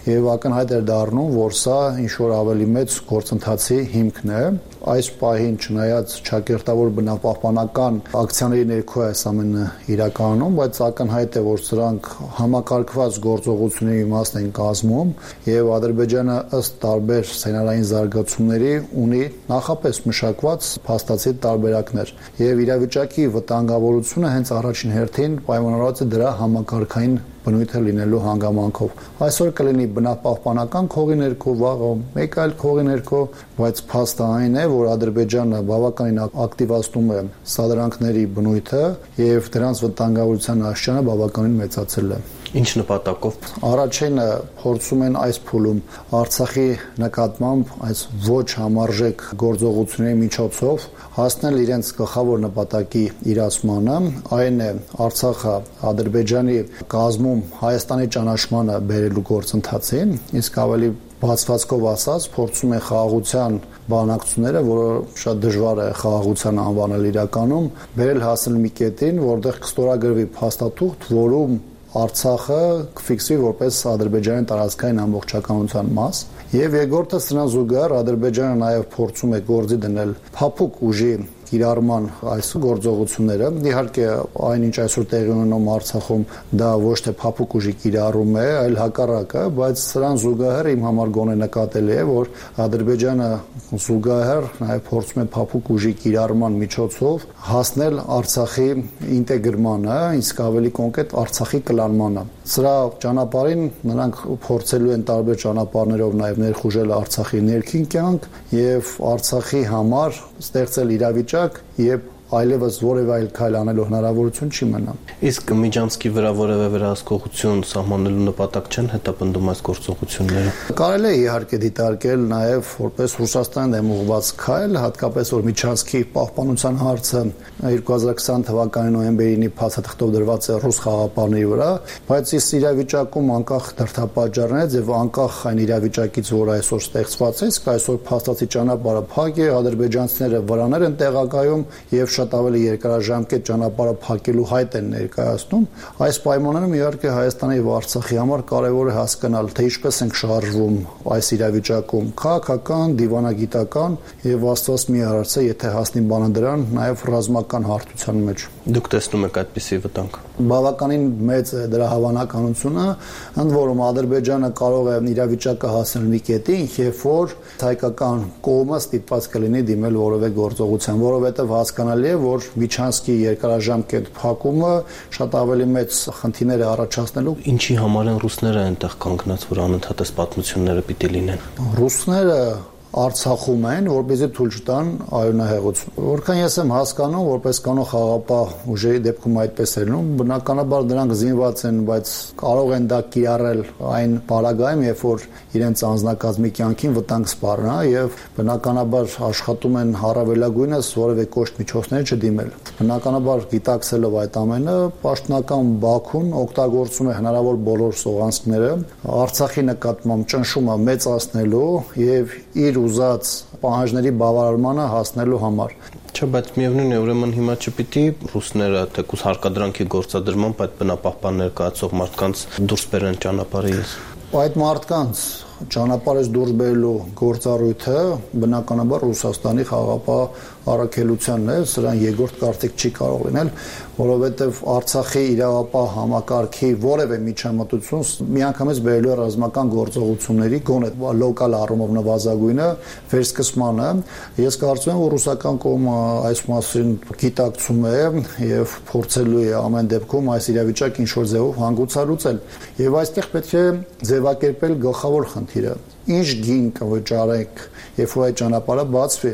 Speaker 17: եւ ակնհայտ էր դառնում, որ սա ինչ որ ավելի մեծ գործընթացի հիմքն է։ Այս պահին չնայած ճակերտավոր բնապահպանական ակցիաների ներքո այս ամենը իրականում, բայց ակնհայտ է, որ սրանք համակարգված գործողությունների մասն են կազմում եւ Ադրբեջանը ըստ տարբեր սցենարային զարգացումների ունի նախապես մշակված փաստացի տարբերակներ եւ իրավիճակի վտանգավորությունը հենց առաջին հերթին պայմանավորված է դրա համակարգային բնույթը լինելու հանգամանքով։ Այսօր կլինի բնապահպանական քողի ներքո, վաղը մեկ այլ քողի ներքո, բայց փաստը այն է, որ Ադրբեջանը բավականին ակտիվացնում է սադրանքների բնույթը եւ դրանց վտանգավորության աշճանը բավականին մեծացել է։
Speaker 12: Ինչ նպատակով։
Speaker 17: Առաջինը փորձում են այս փուլում Արցախի նկատմամբ այս ոչ համարժեք գործողությունների միջոցով հասնել իրենց գլխավոր նպատակի իրացմանը, այն է Արցախը Ադրբեջանի կազմում Հայաստանի ճանաչմանը բերելու գործընթացին, իսկ ավելի բացվածքով ասած փորձում է խաղաղության բանակցությունները, որը շատ դժվար է խաղաղության անվանել իրականում, բերել հասնել մի կետին, որտեղ կստորագրվի փաստաթուղթ, որում Արցախը կֆիքսվի որպես Ադրբեջանի տարածքային ամբողջականության մաս, եւ երկրորդը սրան զուգահեռ Ադրբեջանը նաեւ փորձում է գործի դնել փափուկ ուժի կիրառման այս գործողությունները, իհարկե այնինչ այսօր տեղի ունենում Արցախում դա ոչ թե փափուկ ուժի կիրառում է, այլ հակառակը, բայց սրան զուգահեռ իմ համար գոնե նկատելի է, որ Ադրբեջանը զուգահեռ նաև փորձում է փափուկ ուժի կիրառման միջոցով հասնել Արցախի ինտեգրմանը, իսկ ավելի կոնկրետ Արցախի կլանմանը։ Սրա ճանապարհին նրանք փորձելու են տարբեր ճանապարհներով նաև ներխուժել Արցախի ներքին կյանք եւ Արցախի համար ստեղծել իրավիճակ, երբ այլևս որևէ այլ քայլ անելու հնարավորություն չի մնա։
Speaker 12: Իսկ Միջանցքի վրա որևէ վերահսկողություն սահմանելու նպատակ չեն հետապնդում այս գործողությունները։
Speaker 17: Կարելի է իհարկե դիտարկել նաև որպես Ռուսաստանի դեմ ուղղված քայլ, հատկապես որ Միջանցքի պահպանության հարցը 2020 թվականի նոյեմբերին փաստաթղթով դրված է ռուս խաղապարների վրա, բայց այս իրավիճակում անկախ դրդապատճառներից եւ անկախ այն իրավիճակից, որ այսօր ստեղծված է, այսօր փաստացի ճանապարհը փակ է, ադրբեջանցիները վրաներ են տեղակայում եւ շատ ավելի երկարաժամկետ ճանապարհը փակելու հայտ են ներկայացնում։ Այս պայմաններում իհարկե Հայաստանի եւ Արցախի համար կարեւոր է հասկանալ, թե ինչպես ենք շարժվում այս իրավիճակում քաղաքական, դիվանագիտական եւ Աստված մի արարծե, եթե հասնի բանը դրան, նաեւ ռազմական հարթության մեջ։
Speaker 12: Դուք տեսնում եք այդպիսի վտանգ։
Speaker 17: Բավականին մեծ է դրա հավանականությունը, ընդ որում Ադրբեջանը կարող է իրավիճակը հասնել մի կետին, երբ որ հայկական կողմը ստիպված կլինի դիմել որևէ գործողության, որովհետեւ հասկանալի է, որ Միջանցքի երկարաժամկետ փակումը շատ ավելի մեծ խնդիրներ է առաջացնելու։
Speaker 12: Ինչի համար են ռուսները այնտեղ կանգնած, որ անընդհատ այս պատմությունները պիտի լինեն։
Speaker 17: Ռուսները Արցախում են, որպեսզի թույլ չտան արյունահեղություն։ Որքան ես եմ հասկանում, որպես կանոն խաղաղապահ ուժերի դեպքում այդպես է լինում, բնականաբար դրանք զինված են, բայց կարող են դա կիրառել այն պարագայում, երբ որ իրենց անձնակազմի կյանքին վտանգ սպառնա եւ բնականաբար աշխատում են առավելագույնս որևէ կոշտ միջոցներ չդիմել։ Բնականաբար գիտակցելով այդ ամենը, պաշտոնական Բաքուն օգտագործում է հնարավոր բոլոր սողանցքները Արցախի նկատմամբ ճնշումը մեծացնելու եւ իր ուզած պահանջների բավարարմանը հասնելու համար։
Speaker 12: Չէ, բայց միևնույն է, ուրեմն հիմա չպիտի ռուսները թեկուզ հարկադրանքի գործադրմամբ այդ բնապահպան ներկայացող մարդկանց դուրս բերեն ճանապարհից։
Speaker 17: Այդ մարդկանց ճանապարհից դուրս բերելու գործառույթը բնականաբար Ռուսաստանի խաղաղապահ առաքելությանն է, սրան երկրորդ կարծիք չի կարող լինել, որովհետև Արցախի իրավապահ համակարգի որևէ միջամտություն միանգամից բերելու է ռազմական գործողությունների գոնե լոկալ առումով նվազագույնը վերսկսմանը։ Ես կարծում եմ, որ ռուսական կողմը այս մասին գիտակցում է եւ փորձելու է ամեն դեպքում այս իրավիճակը ինչ որ ձևով հանգուցալուծել։ Եվ այստեղ պետք է ձևակերպել գլխավոր խնդիրը. ինչ գին կվճարենք, երբ որ այդ ճանապարհը բացվի։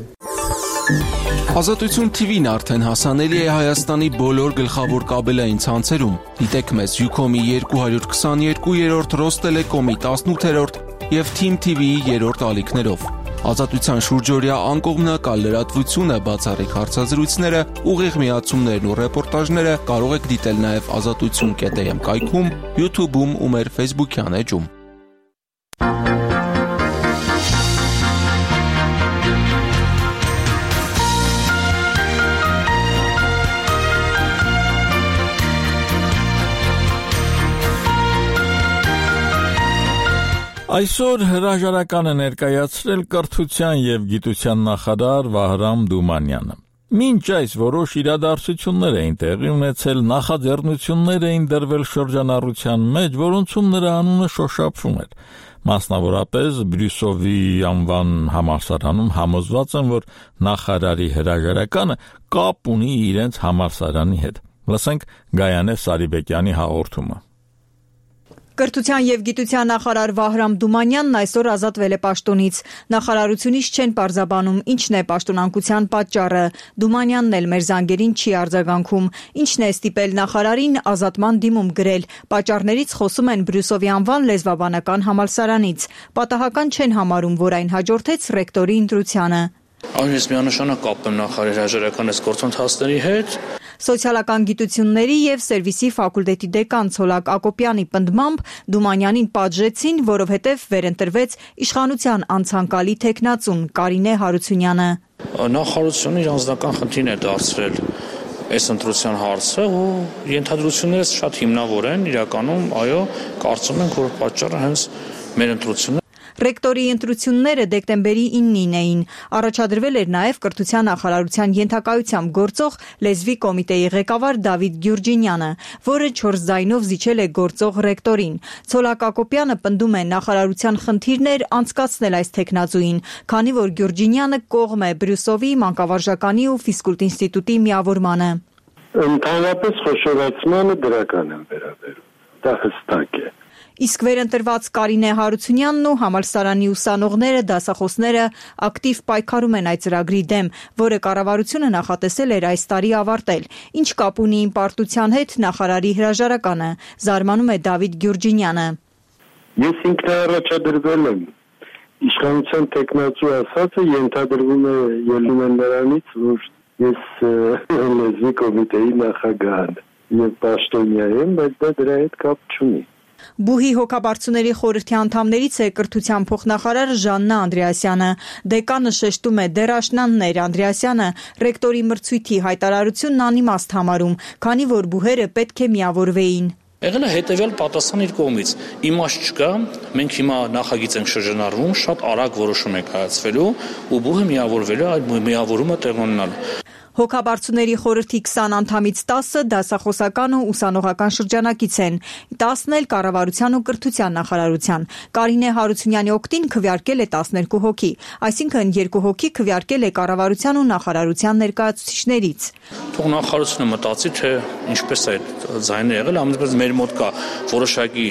Speaker 18: Ազատություն TV-ն արդեն հասանելի է Հայաստանի բոլոր գլխավոր կաբելային ցանցերում։ Դիտեք մեզ Ucom-ի 222-րդ, Ռոստելեկոմի 18-րդ եւ Team TV-ի 3-րդ ալիքներով։ Ազատության շուրջօրյա անկողմնակալ լրատվությունը, բացառիկ հարցազրույցները, ուղիղ միացումներն ու ռեպորտաժները կարող եք դիտել նաև azatutsun.am կայքում, YouTube-ում ու մեր Facebook-յան էջում։
Speaker 1: Այսօր հրաժարական է ներկայացրել կրթության եւ գիտության նախարար Վահրամ Դումանյանը։ Մինչ այս որոշ իրադարձություններ էին տեղի ունեցել, նախաձեռնություններ էին դրվել շրջանառության մեջ, որոնցում նրա անունը շոշափվում էր։ Մասնավորապես Բրյուսովի անվան համալսարանում համոզված են, որ նախարարի հրաժարականը կապ ունի իրենց համալսարանի հետ։ Լսենք Գայանե Սարիբեկյանի հաղորդումը։
Speaker 9: Կրթության եւ գիտության նախարար Վահրամ Դումանյանն այսօր ազատվել է պաշտոնից։ Նախարարությունից չեն պարզաբանում ինչն է պաշտոնանկության պատճառը։ Դումանյանն էլ մեր զանգերին չի արձագանքում։ Ինչն է ստիպել նախարարին ազատման դիմում գրել։ Պատճառներից խոսում են Բրյուսովի անվան լեզվաբանական համալսարանից։ Պատահական չեն համարում, որ այն հաջորդեց ռեկտորի ընտրությանը։
Speaker 19: Այս միանշանակ կապ եմ նախարարի հրաժարական այս գործընթացների հետ։
Speaker 9: Սոցիալական գիտությունների եւ սերվիսի ֆակուլտետի դեկան Ցոլակ Ակոպյանի պնդմամբ Դումանյանին պատժեցին, որովհետեւ վերընտրվեց իշխանության անցանկալի տեխնացուն Կարինե Հարությունյանը։
Speaker 19: Նախարարությունը իր անձնական խնդիրն է դարձրել այս ընտրության հարցը ու ենթադրություններս շատ հիմնավոր են, իրականում այո, կարծում ենք, որ պատճառը հենց մեր ընտրությունն է։
Speaker 9: Ռեկտորի ընտրությունները դեկտեմբերի 9-ին էին։ Առաջադրվել էր նաև կրթության նախարարության ենթակայությամբ գործող լեզվի կոմիտեի ղեկավար Դավիթ Գյուրջինյանը, որը 4 ձայնով զիջել է գործող ռեկտորին։ Ցոլակ Ակոպյանը պնդում է նախարարության խնդիրն էր անցկացնել այս տեխնազույին, քանի որ Գյուրջինյանը կողմ է Բրյուսովի մանկավարժականի ու ֆիզկուլտ ինստիտուտի միավորմանը։
Speaker 20: Ընդհանրապես խոշորացմանը դրական են վերաբերում։ Դա հստակ է։
Speaker 9: Իսկ վերընտրված Կարինե Հարությունյանն ու համալսարանի ուսանողները, դասախոսները ակտիվ պայքարում են այդ ծրագրի դեմ, որը կառավարությունը նախատեսել էր այս տարի ավարտել։ Ինչ կապ ունի իմպարտության հետ նախարարի հրաժարականը, զարմանում է Դավիթ Գյուրջինյանը։
Speaker 20: Ես ինքնաառաջադրվել եմ իշխանության տեխնացու ասածը ենթադրվում է ելնում է նրանից, որ ես լեզվի կոմիտեի նախագահն եւ պաշտոնյա եմ, բայց դա դրա հետ կապ չունի։
Speaker 9: Բուհի հոգաբարձուների խորհրդի անդամներից է կրթության փոխնախարար Ժաննա Անդրեասյանը։ Դեկանը շեշտում է դեռ աշնանն էր Անդրեասյանը ռեկտորի մրցույթի հայտարարությունն անիմաստ համարում, քանի որ բուհերը պետք է միավորվեին։
Speaker 19: Եղել է հետևյալ պատասխան իր կողմից։ Իմաստ չկա, մենք հիմա նախագիծ ենք շրջանառվում, շատ արագ որոշում ենք հայացվելու ու բուհը միավորվելու, այդ միավորումը տեղ ունենալ։
Speaker 9: Հոգաբարձուների խորհրդի 20 անդամից 10-ը դասախոսական ու ուսանողական շրջանակից են, 10-ն էլ կառավարության ու կրթության նախարարության։ Կարինե Հարությունյանի օգտին քվեարկել է 12 հոգի, այսինքն 2 հոգի քվեարկել է կառավարության ու նախարարության ներկայացուցիչներից։
Speaker 19: Թող նախարարությունը մտածի, թե ինչպես է այդ ձայնը եղել, ամենից մեր մոտ կա որոշակի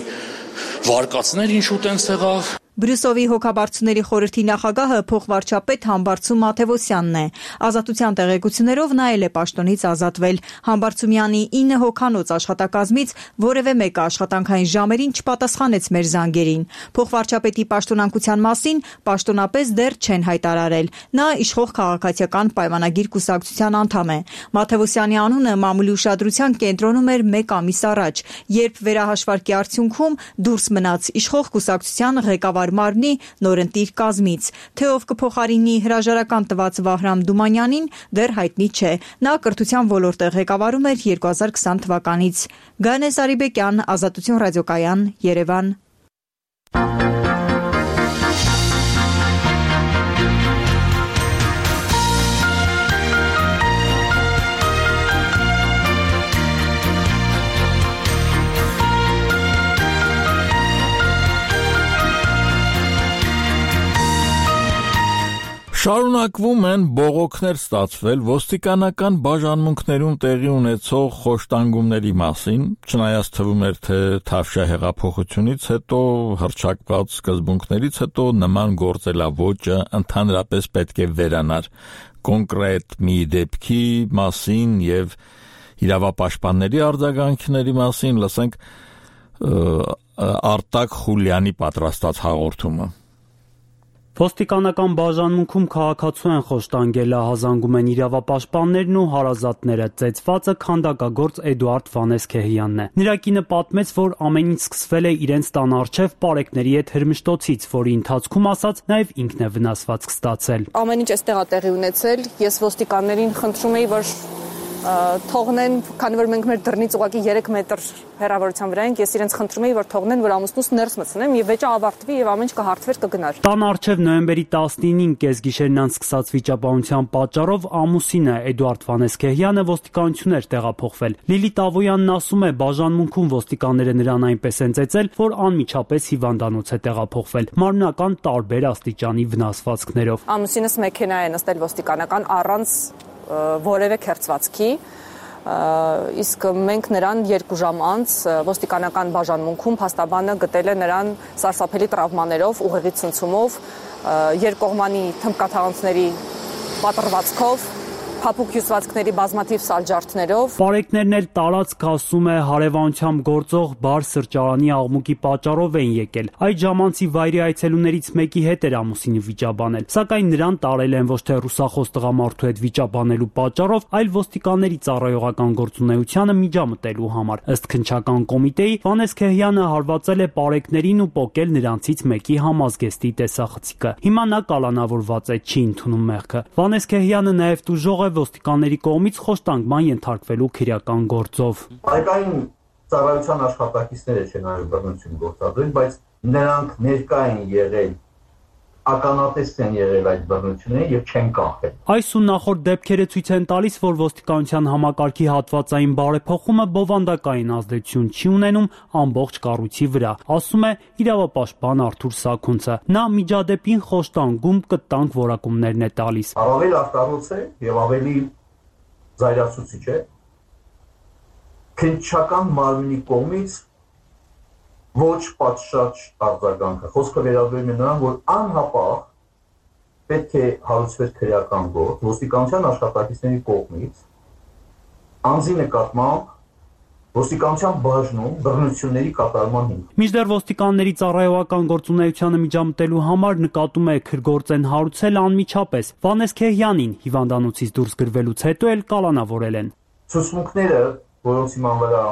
Speaker 19: վարկածներ, ինչու տենց եղավ։
Speaker 9: Բրյուսովի հոգաբարձուների խորհրդի նախագահը փոխվարչապետ Համբարձում Մաթևոսյանն է։ Ազատության տեղեկություններով նա էլ է պաշտոնից ազատվել։ Համբարձումյանի 9 հոգանոց աշխատակազմից որևէ մեկը աշխատանքային ժամերին չպատասխանեց մեր զանգերին։ Փոխվարչապետի պաշտոնանկության մասին պաշտոնապես դեռ չեն հայտարարել։ Նա իշխող քաղաքացիական պայմանագիր կուսակցության անդամ է։ Մաթևոսյանի անունը մամուլի ուշադրության կենտրոնում էր 1 ամիս առաջ, երբ վերահաշվարկի արդյունքում դուրս մնաց իշխող կուսակցության ղեկավար մարմնի նորընտիր կազմից։ Թե ով կփոխարինի հրաժարական տված Վահրամ Դումանյանին դեռ հայտնի չէ։ Նա կրթության ոլորտը ղեկավարում էր 2020 թվականից։ Գայանե Սարիբեկյան, Ազատություն ռադիոկայան, Երևան։
Speaker 1: Շարունակվում են բողոքներ ստացվել ոստիկանական բաժանմունքներում տեղի ունեցող խոշտանգումների մասին, չնայած թվում էր, թե Թավշյա հեղափոխությունից հետո հռչակված սկզբունքներից հետո նման գործելավոճը ընդհանրապես պետք է վերանար կոնկրետ մի դեպքի մասին եւ իրավապաշտպանների արձագանքների մասին, լսենք Արտակ Խուլյանի պատրաստած հաղորդումը։
Speaker 21: Ոստիկանական բաժանմունքում քաղաքացու են խոշտանգել, հազանգում են իրավապաշտպաններն ու հարազատները, ծեծվածը քանդակագործ Էդուարդ Վանեսքեհյանն է։ Նրա կինը պատմեց, որ ամեն ինչ սկսվել է իրենց տան առջև պարեկների հետ հրմշտոցից, որի ընթացքում ասաց նաև ինքն է վնասվածք ստացել։
Speaker 22: Ամեն ինչ էստեղ է տեղի ունեցել, ես ոստիկաններին խնդրում էի, որ թողնեն, քանի որ մենք մեր դռնից ուղղակի 3 մետր հեռավորության վրա ենք, ես իրենց խնդրում էի, որ թողնեն, որ ամուսնուս ներս մտցնեմ եւ վեճը ավարտվի եւ ամեն ինչ կհարթվեր կգնար։
Speaker 21: Տան առջև նոյեմբերի 19-ին կեսգիշերն սկսած վիճաբանության պատճառով ամուսինը Էդուարդ Վանեսքեհյանը ոստիկանություն էր տեղափոխվել։ Լիլիթ Ավոյանն ասում է, բաժանմունքում ոստիկանները նրան այնպես են ծեծել, որ անմիջապես հիվանդանոց է տեղափոխվել, մարմնական տարբեր աստիճանի վնասվածքներով։
Speaker 22: Ամուսինս մեքենա է նստել ոստիկանական առանց որևէ քերծվածքի, իսկ մենք նրան 2 ժամ անց ոստիկանական բաժանմունքում փաստաբանը գտել է նրան սարսափելի տրավմաներով, ուղեղի ցնցումով, երկկողմանի թմբկաթաղանթների պատռվածքով, փափուկ հյուսվածքների բազմաթիվ սալջարդներով։
Speaker 21: Պարեկներն էլ տարածք ասում է հարևանությամբ գործող բար սրճարանի աղմուկի պատճառով են եկել։ Այդ ժամանցի վայրի այցելուներից մեկի հետ էր ամուսինը վիճաբանել, սակայն նրան տարել են ոչ թե ռուսախոս տղամարդու հետ վիճաբանելու պատճառով, այլ ոստիկանների ծառայողական գործունեությանը միջամտելու համար։ Ըստ քննչական կոմիտեի, Վանեսքեհյանը հարվածել է պարեկներին ու պոկել նրանցից մեկի համազգեստի տեսախցիկը։ Հիմա նա կալանավորված է, չի ընդունում մեղքը։ Վանեսքեհյանը նաև տուժող է ոստիկանների կողմից խոշտանգման ենթարկվելու քրեական գործով։
Speaker 23: Այդային ծառայության աշխատակիցները չեն այլ բռնություն գործադրել, բայց նրանք ներկա են եղել, ականատես են եղել այդ բռնություններին եւ չեն կանխել։
Speaker 21: Այս ու նախորդ դեպքերը ցույց են տալիս, որ ոստիկանության համակարգի հատվածային բարեփոխումը բովանդակային ազդեցություն չի ունենում ամբողջ կառույցի վրա, ասում է իրավապաշտպան Արթուր Սաքունցը։ Նա միջադեպին խոշտանգում կտանք որակումներն է տալիս։
Speaker 23: Առավել արտահայտված է եւ ավելի զայրացուցիչ է քննչական մարմնի կողմից ոչ պատշաճ արձագանքը։ Խոսքը վերաբերում է նրան, որ անհապաղ պետք է հարուցվեր քրեական գործ ոստիկանության աշխատակիցների կողմից անձի նկատմամբ ոստիկանության բաժնում բռնությունների կատարման հիմք։
Speaker 21: Մինչդեռ ոստիկանների ծառայողական գործունեությանը միջամտելու համար նկատում է քրգործ են հարուցել անմիջապես։ Վանեսքեհյանին հիվանդանոցից դուրս գրվելուց հետո էլ կալանավորել են։
Speaker 23: Ցուցմունքները, որոնց հիման վրա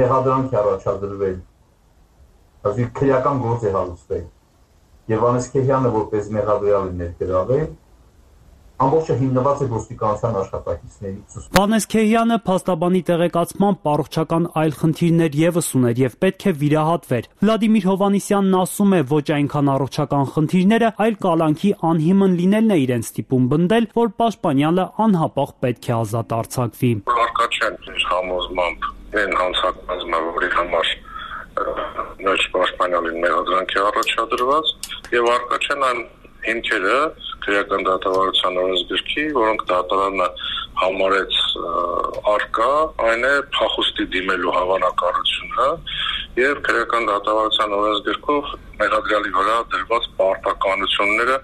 Speaker 23: մեղադրանք է առաջադրվել, ասի քրեական գործ է հարուցվել եւ Վանեսքեհյանը որպես մեղադրյալ է ներգրավել, ամբողջը հիմնված է ոստիկանության աշխատակիցների ցուցմունքներով։
Speaker 21: Վանեսքեհյանը փաստաբանի տեղեկացմամբ առողջական այլ խնդիրներ եւս ուներ եւ պետք է վիրահատվեր։ Վլադիմիր Հովանիսյանն ասում է, ոչ այնքան առողջական խնդիրները, այլ կալանքի անհիմն լինելն է իրեն ստիպում բնդել, որ պաշտպանյալը անհապաղ պետք է ազատ արձակվի։
Speaker 24: Արկաչյան համոզմամբ այն հանցակազմը, որի համար նոր պաշտպանյալին մեղադրանք է առաջադրված եւ արկաչյան այն հիմքերը քրեական դատավարության օրենսգրքի, որոնք դատարանը համարեց արկա, այն է փախուստի դիմելու հավանականությունը եւ քրեական դատավարության օրենսգրքով մեղադրյալի վրա դրված պարտականությունները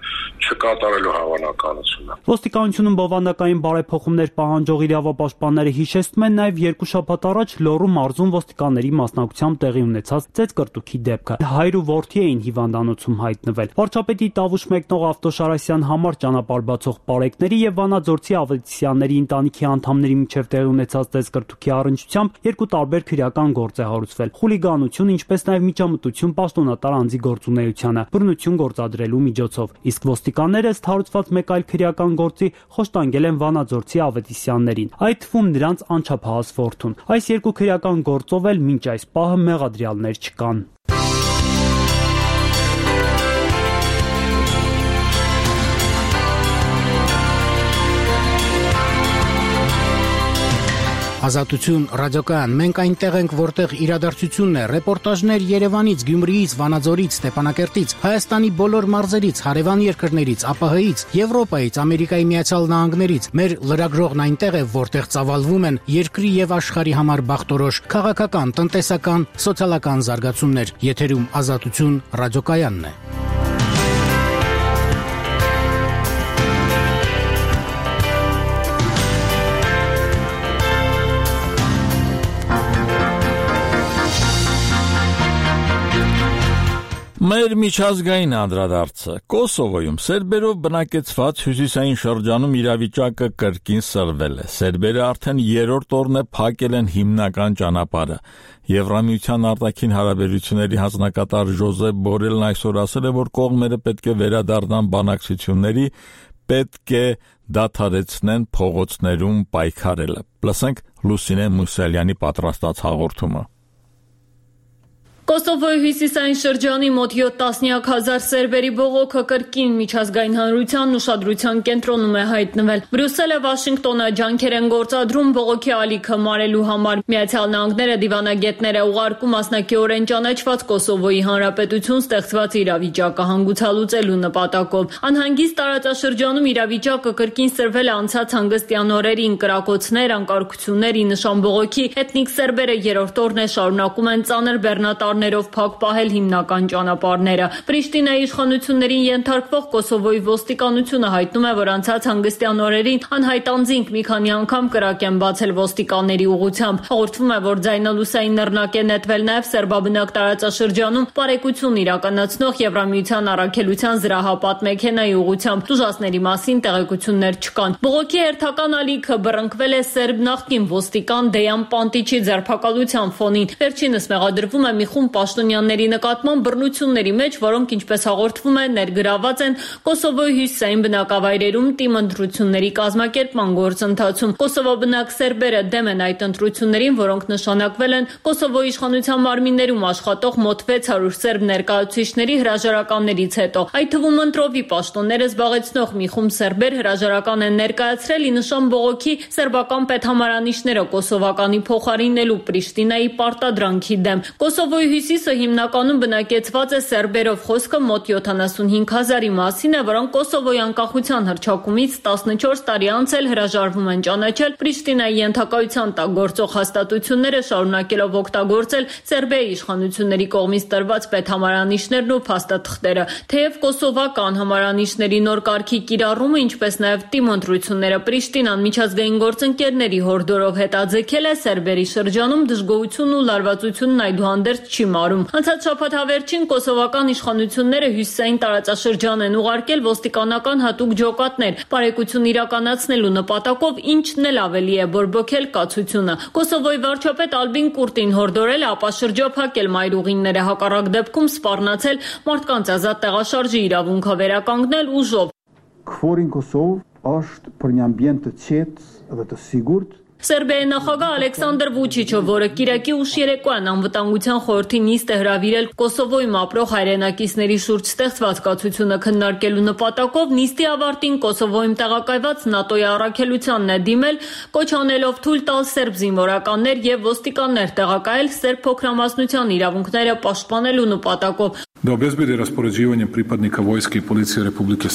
Speaker 24: չկատարելու հավանականությունը։
Speaker 21: Ոստիկանությունում բովանդակային բարեփոխումներ պահանջող իրավապաշտպանները հիշեցնում են նաև 2 շաբաթ առաջ Լոռու մարզում ոստիկանների մասնակցությամբ տեղի ունեցած ծեծկրտուքի դեպքը։ Հայր ու որդի էին հիվանդանոցում հայտնվել։ Վարչապետի տավուշ մեկնող Ավտոշարասյան համար ճանապարհ բացող պարեկների եւ Վանաձորցի Ավետիսյանների ընտանիքի անդամների միջև տեղի ունեցած ծեծկրտուքի առնչությամբ 2 տարբեր քրեական գործ է հարուցվել։ Խուլիգանություն, ինչպես նաև միջամտություն պաշտոնատար անձի գործունեությանը, բռնություն գործադրելու միջոցով։ Իսկ ոստիկանները ըստ հարուցված մեկ այլ քրեական գործի խոշտանգել են Վանաձորցի Ավետիսյաններին, այդ թվում նրանց անչափահաս որդուն։ Այս 2 քրեական գործով էլ մինչ այս պահը մեղադրյալներ չկան։
Speaker 2: Ազատություն ռադիոկայան, մենք այնտեղ ենք, որտեղ իրադարձությունն է, ռեպորտաժներ Երևանից, Գյումրիից, Վանաձորից, Ստեփանակերտից, Հայաստանի բոլոր մարզերից, հարևան երկրներից, ԱՊՀ-ից, Եվրոպայից, Ամերիկայի Միացյալ Նահանգներից։ Մեր լրագրողն այնտեղ է, որտեղ ծավալվում են երկրի եւ աշխարհի համար բախտորոշ քաղաքական, տնտեսական, սոցիալական զարգացումներ։ Եթերում Ազատություն ռադիոկայանն է։
Speaker 1: Մեր միջազգային անդրադարձը Կոսովոյում սերբերով բնակեցված հյուսիսային շրջանում իրավիճակը կրկին սրվել է։ Սերբերը արդեն երրորդ օրն է փակել են հիմնական ճանապարհը։ Եվրամիության արտաքին հարաբերությունների հանձնակատար Ժոզեփ Բորելն այսօր ասել է, որ կողմերը պետք է վերադառնան բանակցությունների, պետք է դադարեցնեն փողոցներում պայքարելը։ Լսենք Լուսինե Մուսալյանի պատրաստած հաղորդումը։
Speaker 4: Կոսովոյի հյուսիսային շրջանի մոտ 70,000 սերբերի բողոքը կրկին միջազգային հանրությանն ուշադրության կենտրոնում է հայտնվել։ Բրյուսելը, Վաշինգտոնը ջանքեր են գործադրում բողոքի ալիքը մարելու համար։ Միացյալ Նահանգները դիվանագետներ է ուղարկում մասնակիորեն ճանաչված Կոսովոյի հանրապետություն ստեղծված իրավիճակը հանգուցալուծելու նպատակով։ Անհանգիստ տարածաշրջանում իրավիճակը կրկին սրվել է անցած հանգստյան օրերին։ Կրակոցներ, անկարգություններ, ի նշան բողոքի էթնիկ սերբերը երրորդ օրն է շարունակում են ծանր բեռնատար ներով փակ պահել հիմնական ճանապարհները։ Պրիշտինայի իշխանություններին ենթարկվող Կոսովոյի ոստիկանությունը հայտնում է, որ անցած հանգստյան օրերին անհայտ անձինք մի քանի անգամ կրակ են բացել ոստիկանների ուղղությամբ։ Հաղորդվում է, որ ձայնալուսային նռնակ է նետվել նաև սերբաբնակ տարածաշրջանում բարեկություն իրականացնող Եվրամիության առաքելության զրահապատ մեքենայի ուղղությամբ։ Տուժածների մասին տեղեկություններ չկան։ Բողոքի հերթական ալիքը բռնկվել է սերբ նախկին ոստիկան Դեյան Պանտիչի ձերբակալության ֆոնին։ Վերջինս մեղադրվում է մի խումբ պաշտոնյաների նկատմամբ բռնությունների մեջ, որոնք, ինչպես հաղորդվում է, ներգրաված են Կոսովոյի հյուսիսային բնակավայրերում թիմ ընտրությունների կազմակերպման գործընթացում։ Կոսովոբնակ սերբերը դեմ են այդ ընտրություններին, որոնք նշանակվել են Կոսովոյի իշխանության մարմիններում աշխատող մոտ 600 սերբ ներկայացուցիչների հրաժարականներից հետո։ Այդ թվում ընտրովի պաշտոնները զբաղեցնող մի խումբ սերբեր հրաժարական են ներկայացրել ի նշան բողոքի սերբական պետհամարանիշները կոսովականի փոխարինելու Պրիշտինայի պարտադրանքի դեմ։ Կոսովոյի հյուսիսը հիմնականում բնակեցված է սերբերով, խոսքը մոտ 75,000-ի մասին է, որոնք Կոսովոյի անկախության հռչակումից 14 տարի անց էլ հրաժարվում են ճանաչել Պրիշտինայի ենթակայության տակ գործող հաստատությունները, շարունակելով օգտագործել Սերբիայի իշխանությունների կողմից տրված պետհամարանիշներն ու փաստաթղթերը։ Թեև կոսովական համարանիշների նոր կարգի կիրառումը, ինչպես նաև թիմ ընտրությունները Պրիշտինան միջազգային գործընկերների հորդորով հետաձգել է, սերբերի շրջանում դժգոհությունն ու լարվածությունն այդուհանդերձ չի մարում։ Անցած շաբաթ հավերջին կոսովական իշխանությունները հյուսիսային տարածաշրջան են ուղարկել ոստիկանական հատուկ ջոկատներ բարեկություն իրականացնելու նպատակով, ինչն էլ ավելի է բորբոքել կացությունը։ Կոսովոյի վարչապետ Ալբին Կուրտին հորդորել է ապա շրջափակել մայրուղիները, հակառակ դեպքում սպառնացել մարդկանց ազատ տեղաշարժի իրավունքը վերականգնել ուժով։ Սերբիայի նախագահ Ալեքսանդր Վուչիչը, որը Կիրակի ուշ երեկոյան անվտանգության խորհրդի նիստ է հրավիրել Կոսովոյում ապրող հայրենակիցների շուրջ ստեղծված կացությունը քննարկելու նպատակով, նիստի ավարտին Կոսովոյում տեղակայված ՆԱՏՕ-ի առաքելությանն է դիմել, կոչ անելով թույլ տալ սերբ զինվորականներ եւ ոստիկաններ տեղակայել սերբ փոքրամասնության իրավունքները պաշտպանելու նպատակով։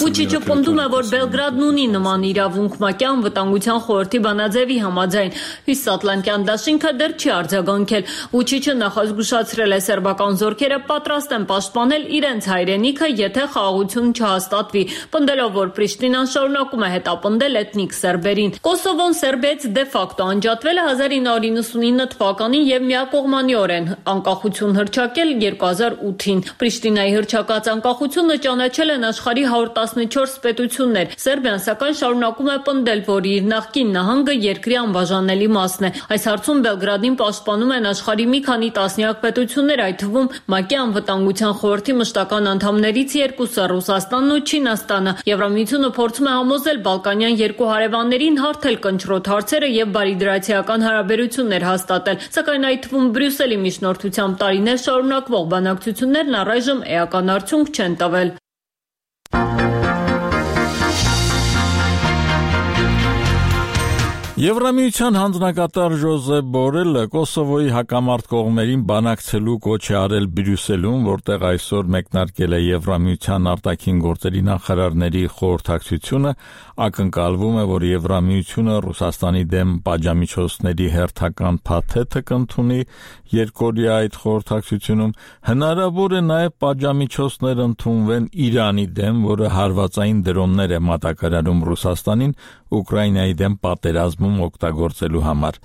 Speaker 4: Վուչիչը պնդում է, որ Բելգրադն ունի նման իրավունք ՄԱԿ-ի անվտանգության խորհրդի բանաձևի համաձայն։ Հյուսիսատլանտյան դաշինքը դեռ չի արձագանքել։ Վուչիչը նախազգուշացրել է սերբական զորքերը պատրաստ են պաշտպանել իրենց հայրենիքը, եթե խաղաղություն չհաստատվի, պնդելով, որ Պրիշտինան շարունակում է հետապնդել էթնիկ սերբերին։ Կոսովոն Սերբիայից դե ֆակտո անջատվել է 1999 թվականին եւ միակողմանիորեն անկախություն հռչակել 2008-ին։ Պրիշտինայի հռչակած անկախությունը ճանաչել են աշխարհի 114 պետություններ։ Սերբիան սակայն շարունակում է պնդել, որ իր նախկին նահանգը երկրի անբաժանելի մասն է։ Այս հարցում Բելգրադին պաշտպանում են աշխարհի մի քանի տասնյակ պետություններ, այդ թվում ՄԱԿ-ի անվտանգության խորհրդի մշտական անդամներից երկուսը՝ Ռուսաստանն ու Չինաստանը։ Եվրամիությունը փորձում է համոզել բալկանյան երկու հարևաններին հարթել կնճռոտ հարցերը եւ բարիդրացիական հարաբերություններ հաստատել, սակայն այդ թվում Բրյուսելի միջնորդությամբ տարիներ շարունակվող բանակցություններն առայժմ էական արդյունք չեն տվել։
Speaker 1: Եվրամիության հանձնակատար Ժոզեփ Բորելը Կոսովոյի հակամարտ կողմերին բանակցելու կոչ է արել Բրյուսելում, որտեղ այսօր մեկնարկել է Եվրամիության արտաքին գործերի նախարարների խորհրդակցությունը, ակնկալվում է, որ Եվրամիությունը Ռուսաստանի դեմ պատժամիջոցների հերթական փաթեթը կընդունի երկօրյա այդ խորհրդակցությունում, հնարավոր է նաև պատժամիջոցներ ընդունվեն Իրանի դեմ, որը հարվածային դրոններ է մատակարարում Ռուսաստանին Ուկրաինայի դեմ պատերազմում օգտագործելու համար։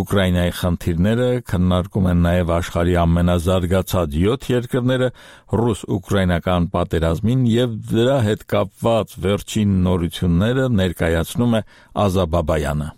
Speaker 1: Ուկրաինայի խնդիրները քննարկում են նաև աշխարհի ամենազարգացած 7 երկրները ռուս-ուկրաինական պատերազմին եւ դրա հետ կապված վերջին նորությունները ներկայացնում է Ազա Բաբայանը։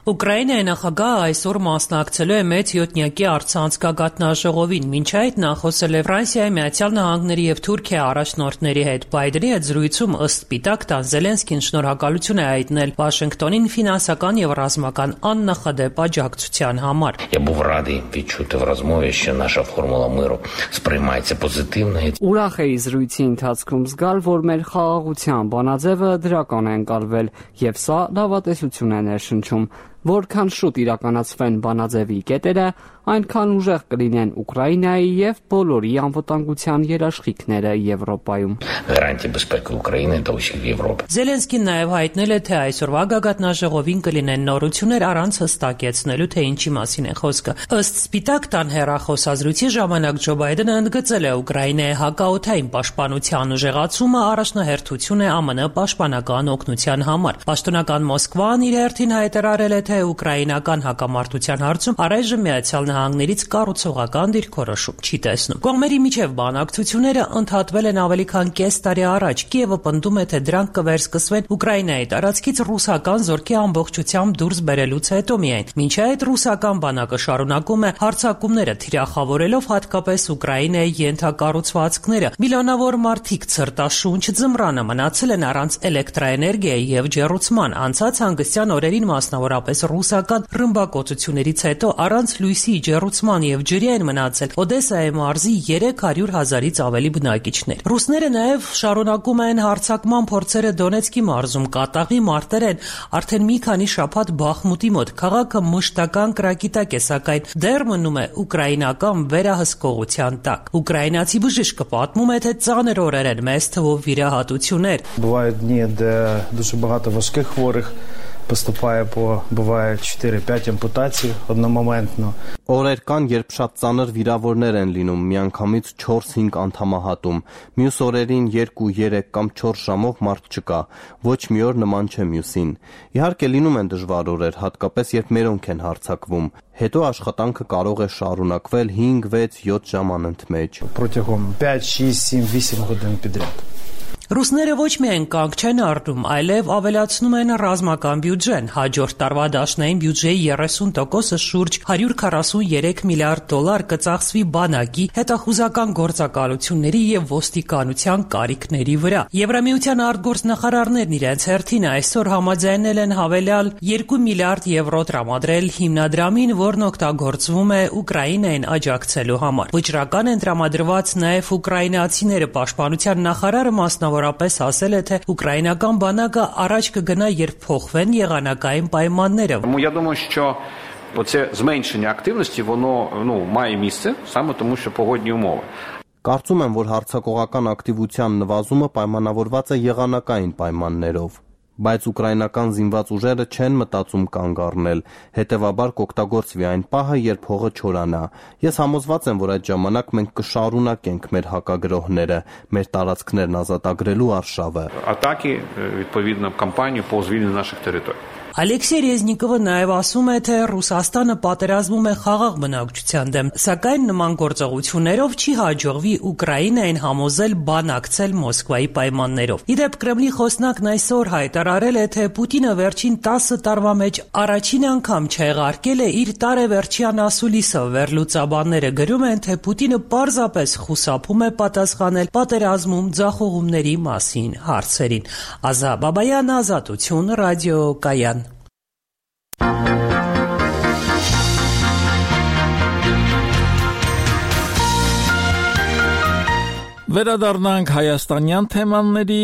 Speaker 3: Ուկրաինայի նախագահը այսօր մասնակցելու է մեծ յոթնյակի արտցանցկագատնաժողովին, մինչ այդ նա խոսել է Ֆրանսիայի, Միացյալ Նահանգների եւ Թուրքիայի առաջնորդների հետ։ Բայդենի հետ զրույցում ըստ Սպիտակ տան Զելենսկին շնորհակալություն է հայտնել Վաշինգտոնին ֆինանսական եւ ռազմական աննախադեպ աջակցության համար։
Speaker 5: Я був радий відчути в розмові, що наша формула миру сприймається позитивно.
Speaker 6: Ուրախ էի զրույցի ընթացքում զգալ, որ մեր խաղաղության բանաձևը դրական է ընկալվել եւ սա լավատեսություն է ներշնչում։ Որքան շուտ իրականացվեն բանաձևի կետերը, այնքան ուժեղ կլինեն Ուկրաինայի եւ բոլորի անվտանգության երաշխիքները Եվրոպայում։
Speaker 5: Гарантії безпеки України та усіх Європи.
Speaker 3: Զելենսկին նաև հայտնել է, թե այսօրվա գագաթնաժողովին կլինեն նորություններ առանց հստակեցնելու, թե ինչի մասին է խոսքը։ Ըստ Սպիտակ տան հեռախոսազրույցի ժամանակ Ջո Բայդենը ընդգծել է Ուկրաինայի հակաօդային պաշտպանության ուժեղացումը առաջնահերթություն է ԱՄՆ պաշտպանական օգնության համար։ Պաշտոնական Մոսկվան իր հերթին հայտարարել է, թե ուկրաինական հակամարտության հարցում առայժմ Միացյալ Նահանգներից կառուցողական դիրքորոշում չի տեսնում։ Կողմերի միջև բանակցությունները ընդհատվել են ավելի քան կես տարի առաջ։ Կիևը պնդում է, թե դրանք կվերսկսվեն Ուկրաինայի տարածքից ռուսական զորքի ամբողջությամբ դուրս բերելուց հետո միայն։ Մինչ այդ ռուսական բանակը շարունակում է հարձակումները, թիրախավորելով հատկապես Ուկրաինայի ենթակառուցվածքները։ Միլիոնավոր մարդիկ ցրտաշունչ ձմռանը մնացել են առանց էլեկտրաէներգիայի եւ ջեռուցման։ Անցած հանգստյան օրերին մասնավորապես ռուսական ռմբակոծություններից հետո առանց լույսի, ջեռուցման եւ ջրի են մնացել Օդեսայի մարզի 300,000-ից ավելի բնակիչներ։ Ռուսները նաեւ շարունակում են հարձակման փորձերը Դոնեցկի մարզում, կատաղի մարտեր են արդեն մի քանի շաբաթ Բախմուտի մոտ։ Քաղաքը մշտական կրակի տակ է, սակայն դեռ մնում է ուկրաինական վերահսկողության տակ։ Ուկրաինացի բժիշկը պատմում է, թե ծանր օրեր են, մեծ թվով վիրահատություններ։
Speaker 8: Бувають дні, де дуже багато важких хворих буває 4-5 ампутацій одномоментно.
Speaker 12: Օրեր կան, երբ շատ ծանր վիրավորներ են լինում, միանգամից 4-5 անդամահատում։ Մյուս օրերին 2-3 կամ 4 ժամով մարդ չկա։ Ոչ մի օր նման չէ մյուսին։ Իհարկե լինում են դժվար օրեր, հատկապես երբ մերոնք են հարձակվում։ Հետո աշխատանքը կարող է շարունակվել 5-6-7 ժամ անընդմեջ։
Speaker 8: Протягом 5, 6, 7, 8 годин підряд.
Speaker 3: Ռուսները ոչ միայն կանգ չեն առնում, այլև ավելացնում են ռազմական բյուջեն։ Հաջորդ տարվա դաշնային բյուջեի 30%-ը շուրջ $143 միլիարդ կծախսվի բանակի, հետախուզական գործակալությունների եւ ոստիկանության կարիքների վրա։ Եվրամիության արտգործնախարարներն իրենց հերթին այսօր համաձայնել են հավելյալ 2 միլիարդ եվրո տրամադրել հիմնադրամին, որն օգտագործվում է Ուկրաինային աջակցելու համար։ Վճռական են տրամադրված նաեւ ուկրաինացիները։ Պաշտպանության նախարարը մասնավորապես ասել է, թե ուկրաինական բանակը առաջ կգնա, երբ փոխվեն եղանակային պայմանները։
Speaker 25: Я думаю, що оце зменшення активності, воно має місце саме тому, що погодні умови.
Speaker 12: Կարծում եմ, որ հարձակողական ակտիվության նվազումը պայմանավորված է եղանակային պայմաններով, բայց ուկրաինական զինված ուժերը չեն մտածում կանգ առնել, հետևաբար կօգտագործվի այն պահը, երբ հողը չորանա։ Ես համոզված եմ, որ այդ ժամանակ մենք կշարունակենք մեր հակագրոհները, մեր տարածքներն ազատագրելու արշավը։
Speaker 25: Атаки, відповідно, кампанію по звільненню наших територій.
Speaker 3: Ալեքսեյ Ռեզնիկովը նաև ասում է, թե Ռուսաստանը պատերազմում է խաղաղ բնակչության դեմ, սակայն նման գործողություններով չի հաջողվի Ուկրաինային համոզել բանակցել Մոսկվայի պայմաններով։ Իդեպ Կրեմլի խոսնակն այսօր հայտարարել է, թե Պուտինը վերջին 10 տարվա մեջ առաջին անգամ չեղարկել է իր տարեվերջյան ասուլիսը։ Վերլուծաբանները գրում են, թե Պուտինը պարզապես խուսափում է պատասխանել պատերազմում ձախողումների մասին հարցերին։ Ազա Բաբայան, Ազատություն, Ռադիո Կայան։
Speaker 1: Վերադառնանք հայաստանյան թեմաների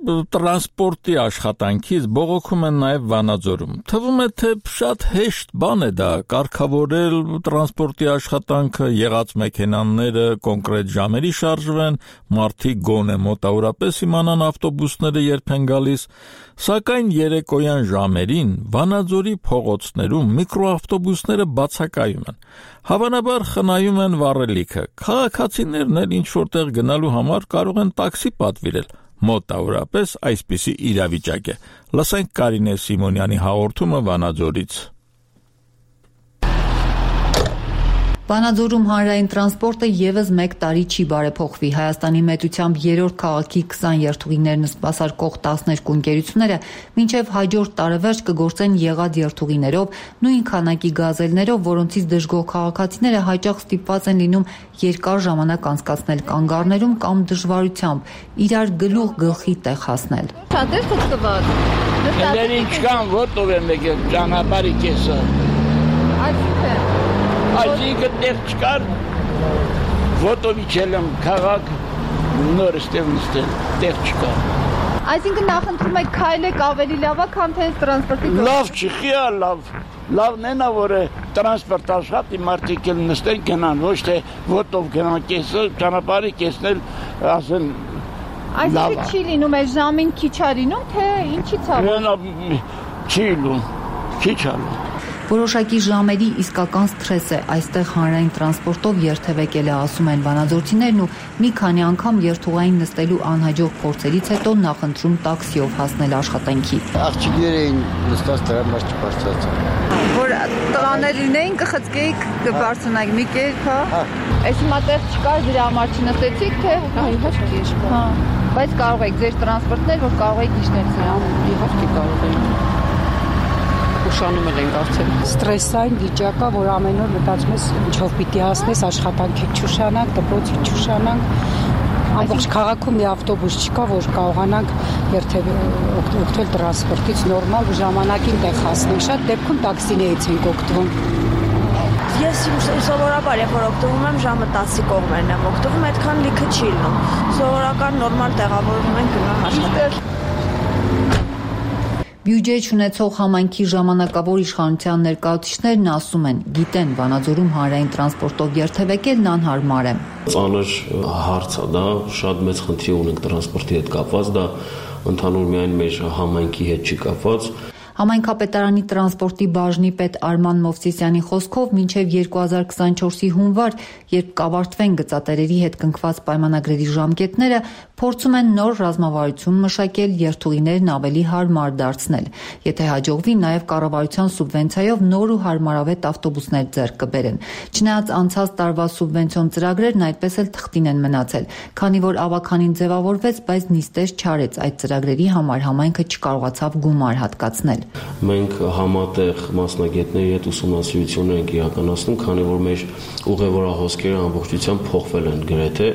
Speaker 1: տրանսպորտի աշխատանքից բողոքում են նաև Վանաձորում։ Թվում է, թե շատ հեշտ բան է դա կարգավորել տրանսպորտի աշխատանքը, եղած մեքենաները կոնկրետ ժամերի շարժվեն, մարդիկ գոնե մոտավորապես իմանան ավտոբուսները երբ են գալիս, սակայն երեկոյան ժամերին Վանաձորի փողոցներում միկրոավտոբուսները բացակայում են։ Հավանաբար խնայում են վառելիքը։ Քաղաքացիներն էլ ինչ որտեղ գնալու համար կարող են տաքսի պատվիրել։ Մոտավորապես այսպիսի իրավիճակ է։ Լսենք Կարինե Սիմոնյանի հաղորդումը Վանաձորից։
Speaker 7: Վանաձորում հանրային տրանսպորտը եւս 1 տարի չի բարեփոխվի։ Հայաստանի մեծությամբ 3-րդ քաղաքի 20 երթուղիներն սպասարկող 12 ընկերությունները մինչև հաջորդ տարեվերջ կգործեն եղած երթուղիներով, նույն քանակի գազելներով, որոնցից դժգոհ քաղաքացիները հաճախ ստիպված են լինում երկար ժամանակ անցկացնել կանգառներում կամ դժվարությամբ իրար գլուխ գլխի տեղ հասնել։
Speaker 10: Շատ է խոցված։
Speaker 11: Դեռ ինչքան ոտով եմ եկել ճանապարհի կեսը։
Speaker 10: Այսինքն
Speaker 11: Այսինքն տեղ չկար, ոտով իջել եմ քաղաք, նոր ստեղ նստել, տեղ չկար։
Speaker 10: Այսինքն նախընտրում եք քայլեք ավելի լավա, քան թե տրանսպորտի։
Speaker 11: Լավ չի, խիա լավ։ Լավն է նա, որ տրանսպորտ աշխատի, մարդիկ էլ նստեն գնան, ոչ թե ոտով գնան կեսը, ճանապարհի կեսն էլ ասեն լավ։
Speaker 10: Այսինքն չի լինում, այս ժամին քիչ է լինում, թե ինչի՞ց է։
Speaker 11: Չի լինում, քիչ է լինում։
Speaker 7: Որոշակի ժամերի իսկական սթրես է այստեղ հանրային տրանսպորտով երթևեկել է, ասում են վանաձորցիներն ու մի քանի անգամ երթուղային նստելու անհաջող փորձերից հետո նախընտրում տաքսիով հասնել աշխատանքի։
Speaker 14: Աղջիկներ էին նստած դրա մաս չբարձրացան։
Speaker 10: Որ տղաներ լինեին կխցկեիք կբարձրանայիք մի կերպ, հա։ Այս հիմա տեղ չկար, դրա համար չնստեցիք, թե իհարկե չկար։ Հա։ Բայց կարող եք ձեր տրանսպորտներ, որ կարող եք իջնել սրան, իհարկե կարող եք։ Ուշանում ենք արդեն։
Speaker 15: Ստրեսային վիճակա, որ ամեն օր մտածում ես ինչով պիտի հասնես, աշխատանքի չուշանանք, դպրոցի չուշանանք։ Ամբողջ քաղաքում մի ավտոբուս չկա, որ կարողանանք օգտվել տրանսպորտից նորմալ ժամանակին տեղ հասնենք։ Շատ դեպքում տաքսիներից ենք օգտվում։
Speaker 26: Ես սովորաբար երբ որ օգտվում եմ ժամը 10-ի կողմերն եմ օգտվում, այդքան լիքը չի լինում։ Սովորական նորմալ տեղավորվում ենք գնում աշխատանք։
Speaker 7: Բյուջե չունեցող համայնքի ժամանակավոր իշխանության ներկայացուցիչներն ասում են, գիտեն Վանաձորում հանրային տրանսպորտով երթևեկելն անհարմար է։
Speaker 27: Ծանր հարց է դա, շատ մեծ խնդիր ունենք տրանսպորտի հետ կապված, դա ընդհանուր միայն մեր համայնքի հետ չի կապված։
Speaker 7: Համայնքապետարանի տրանսպորտի բաժնի պետ Արման Մովսիսյանի խոսքով մինչև 2024-ի հունվար, երբ կավարտվեն գծատերերի հետ կնքված պայմանագրերի ժամկետները, փորձում են նոր ռազմավարություն մշակել, երթուղիներն ավելի հարմար դարձնել։ Եթե հաջողվի, նաև կառավարության սուբվենցիայով նոր ու հարմարավետ ավտոբուսներ ձեռք կբերեն։ Չնայած անցած տարվա սուբվենցիոն ծրագրերն այդպես էլ թղթին են մնացել, քանի որ ավականին ձևավորվեց, բայց նիստեր չարեց այդ ծրագրերի համար համայնքը չկարողացավ գումար հատկացնել։
Speaker 27: Մենք համատեղ մասնագետների հետ ուսումնասիրություններ ենք իրականացնում, քանի որ մեր ուղևորահոսքերը ամբողջությամբ փոխվել են գրեթե,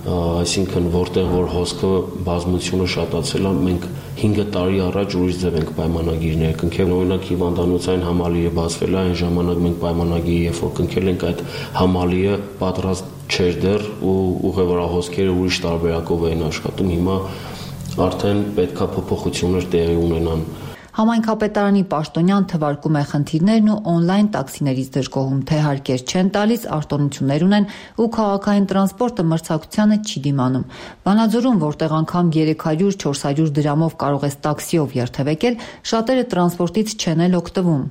Speaker 27: այսինքն որտեղ որ հոսքը բազմությունը շատացել է, մենք 5 տարի առաջ ուրիշ ձև ենք պայմանագիրներ կնքել, օրինակ հիվանդանոցային համալիրը բացվել է, այն ժամանակ մենք պայմանագիրը երբ որ կնքել ենք, այդ համալիրը պատրաստ չէր դեռ ու ուղևորահոսքերը ուրիշ տարբերակով էին աշխատում, հիմա արդեն պետքա փոփոխություններ տեղի ունենան։
Speaker 7: Համայնքապետարանի պաշտոնյան թվարկում է խնդիրներն ու օնլայն տաքսիներից դժգոհում, թե հարկեր չեն տալիս, արտոնություններ ունեն ու քաղաքային տրանսպորտը մրցակցությանը չի դիմանում։ Վանաձորում, որտեղ անգամ 300-400 դրամով կարող ես տաքսիով երթևեկել, շատերը տրանսպորտից չեն էլ օգտվում։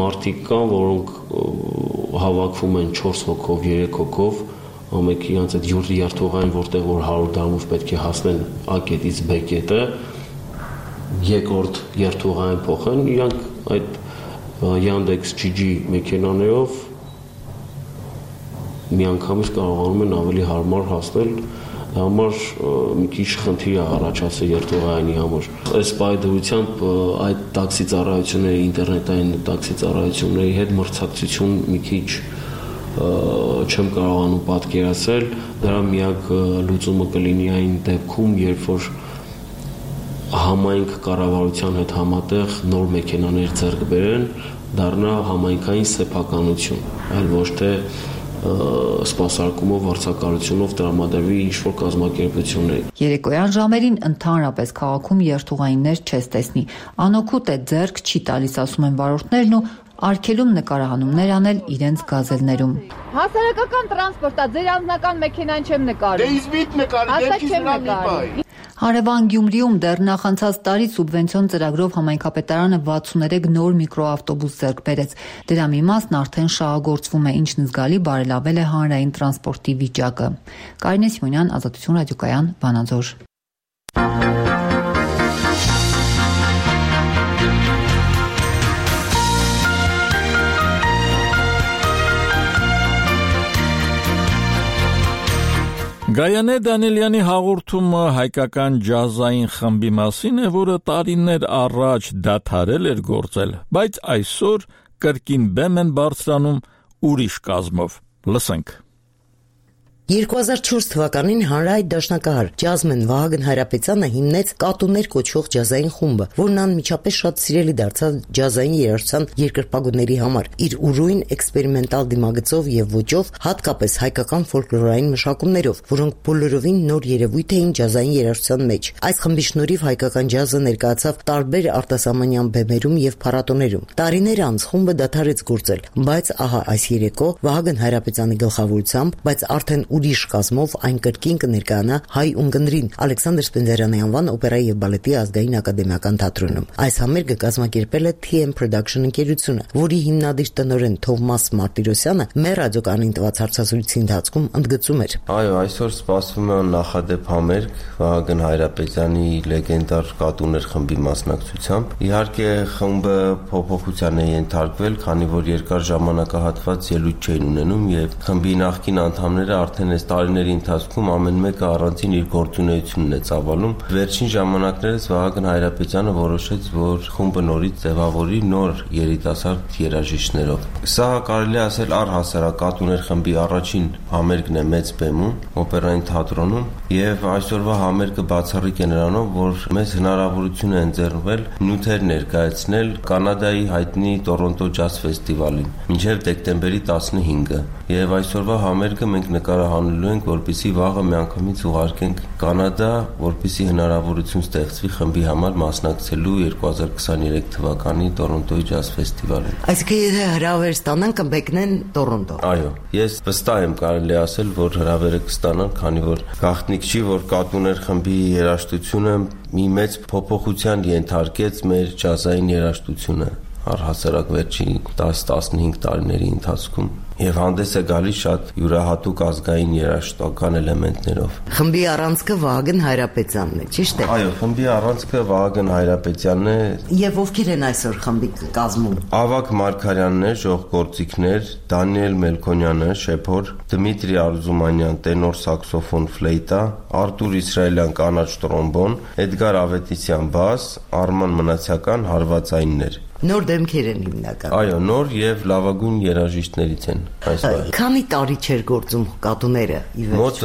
Speaker 27: Մարդիկ կան, որոնք հավաքվում են 4 հոգով, 3 հոգով, ամենքի իրանց այդ երթուղային, որտեղ որ 100 դրամով պետք է հասնեն A կետից B կետը, երկրորդ երթուղային փոխեն, իրանք այդ Yandex GG մեքենաներով միանգամից կարողանում են ավելի հարմար հասնել, դա համար մի քիչ խնդիր է առաջացել երթուղայինի համար։ Այս պայդրությամբ այդ տաքսի ծառայությունների, ինտերնետային տաքսի ծառայությունների հետ մրցակցություն մի քիչ չեմ կարողանում պատկերացնել, դրա միակ լուծումը կլինի այն դեպքում, երբ որ համայնք կառավարության հետ համատեղ նոր մեքենաներ ձեռք բերեն, դառնա համայնքային սեփականություն, այլ ոչ թե սպասարկումով, վարձակալությունով տրամադրվի ինչ-որ կազմակերպությունների։
Speaker 7: Երեկոյան ժամերին ընդհանրապես քաղաքում երթուղայիններ չես տեսնի։ Անօգուտ է, ձեռք չի տալիս, ասում են վարորդներն ու արգելում նկարահանումներ անել իրենց գազելներում։
Speaker 10: Հասարակական տրանսպորտա, ձեր անձնական մեքենան չեմ նկարում։
Speaker 11: Դե իսկ նկարի,
Speaker 7: Հարևան Գյումրիում դեռ նախանցած տարի սուբվենցիոն ծրագրով համայնքապետարանը 63 նոր միկրոավտոբուս ձեռք բերեց։ Դրա մի մասն արդեն շահագործվում է, ինչն զգալի բարելավել է հանրային տրանսպորտի վիճակը։ Կարինե Սիմոնյան, Ազատություն ռադիոկայան, Վանաձոր։
Speaker 1: Գայանե Դանիելյանի հաղորդումը հայկական ջազային խմբի մասին է, որը տարիներ առաջ դադարել էր գործել, բայց այսօր կրկին բեմ են բարձրանում ուրիշ կազմով։ Լսենք։
Speaker 9: 2004 թվականին հանրահայտ դաշնակահար ջազմեն Վահագն Հայրապետյանը հիմնեց «Կատուներ» կոչվող ջազային խումբը, որն անմիջապես շատ սիրելի դարձավ ջազային երաժշտության երկրպագուների համար, իր ուրույն էքսպերիմենտալ դիմագծով եւ ոճով, հատկապես հայկական ֆոլկլորային մշակումներով, որոնք բոլորովին նոր երևույթ էին ջազային երաժշտության մեջ։ Այս խմբի շնորհիվ հայկական ջազը ներկայացավ տարբեր արտասահմանյան բեմերում եւ փառատոներում։ Տարիներ անց խումբը դադարեց գործել, բայց ահա այս երեկո Վահագն Հայրապետյանի գլխավորությամբ, բայց արդեն ուրիշ կազմով այն կրկին կներկայանա հայ ունկնդրին Ալեքսանդր Սպենդիարյանի անվան օպերայի եւ բալետի ազգային ակադեմիական թատրոնում։ Այս համերգը կազմակերպել է TM Production ընկերությունը, որի հիմնադիր տնօրեն Թովմաս Մարտիրոսյանը մեր ռադիոկայանին տված հարցազրույցի ընթացքում ընդգծում էր.
Speaker 13: Այո, այսօր սպասվում է նախադեպ համերգ Վահագն Հայրապետյանի լեգենդար «Կատուներ» խմբի մասնակցությամբ։ Իհարկե խումբը փոփոխության է ենթարկվել, քանի որ երկար ժամանակահատված ելույթ չէին ունենում եւ խմբի նախկին անդամները արդեն այս տարիների ընթացքում ամեն մեկը առանձին իր գործունեությունն է ծավալում։ Վերջին ժամանակներս Վահագն Հայրապետյանը որոշեց, որ խումբը նորից ձևավորի նոր երիտասարդ երաժիշտներով։ Սա կարելի ասել առհասարակ «Կատուներ» խմբի առաջին համերգն է մեծ բեմում, օպերային թատրոնում, եւ այսօրվա համերգը բացառիկ է նրանով, որ մեզ հնարավորություն է ընձեռվել նյութեր ներկայացնել Կանադայի հայտնի Տորոնտո ջազ ֆեստիվալին մինչև դեկտեմբերի 15-ը։ Եվ այսօրվա համերգը մենք նկարահանելու ենք, որպեսզի վաղը միանգամից ուղարկենք Կանադա, որպեսզի հնարավորություն ստեղծվի խմբի համար մասնակցելու 2023 թվականի Տորոնտոյի ջազ ֆեստիվալին։
Speaker 9: Այսինքն եթե հրավեր ստանան կմեկնեն Տորոնտո։
Speaker 13: Այո, ես վստահ եմ, կարելի ասել, որ հրավերը կստանան, քանի որ գաղտնիք չի, որ «Կատուներ» խմբի երաժշտությունը մի մեծ փոփոխության ենթարկեց մեր ջազային երաժշտությունը առհասարակ վերջին 10-15 տարիների ընթացքում եւ հանդես է գալիս շատ յուրահատուկ ազգային երաժշտական էլեմենտներով։
Speaker 9: Խմբի առանցքը Վահագն Հայրապետյանն է, ճիշտ է։
Speaker 13: Այո, խմբի առանցքը Վահագն Հայրապետյանն է։
Speaker 9: Եվ ովքեր են այսօր խմբի կազմում։
Speaker 13: Ավագ Մարգարյանն է, ժողգործիքներ, Դանիել Մելքոնյանը, շեփոր, Դմիտրի Արզումանյան, տենոր սաքսոֆոն, ֆլեյտա, Արտուր Իսրայելյան, կանաչ տրոմբոն, Էդգար Ավետիսյան, բաս, Արման Մնացական, հարվածայիններ։
Speaker 9: Նոր դեմքեր են հիմնական։
Speaker 13: Այո, նոր եւ լավագույն երաժիշտներից են այս բանը։
Speaker 9: Քանի տարի չէր գործում «Կատուները»։
Speaker 13: Մոտ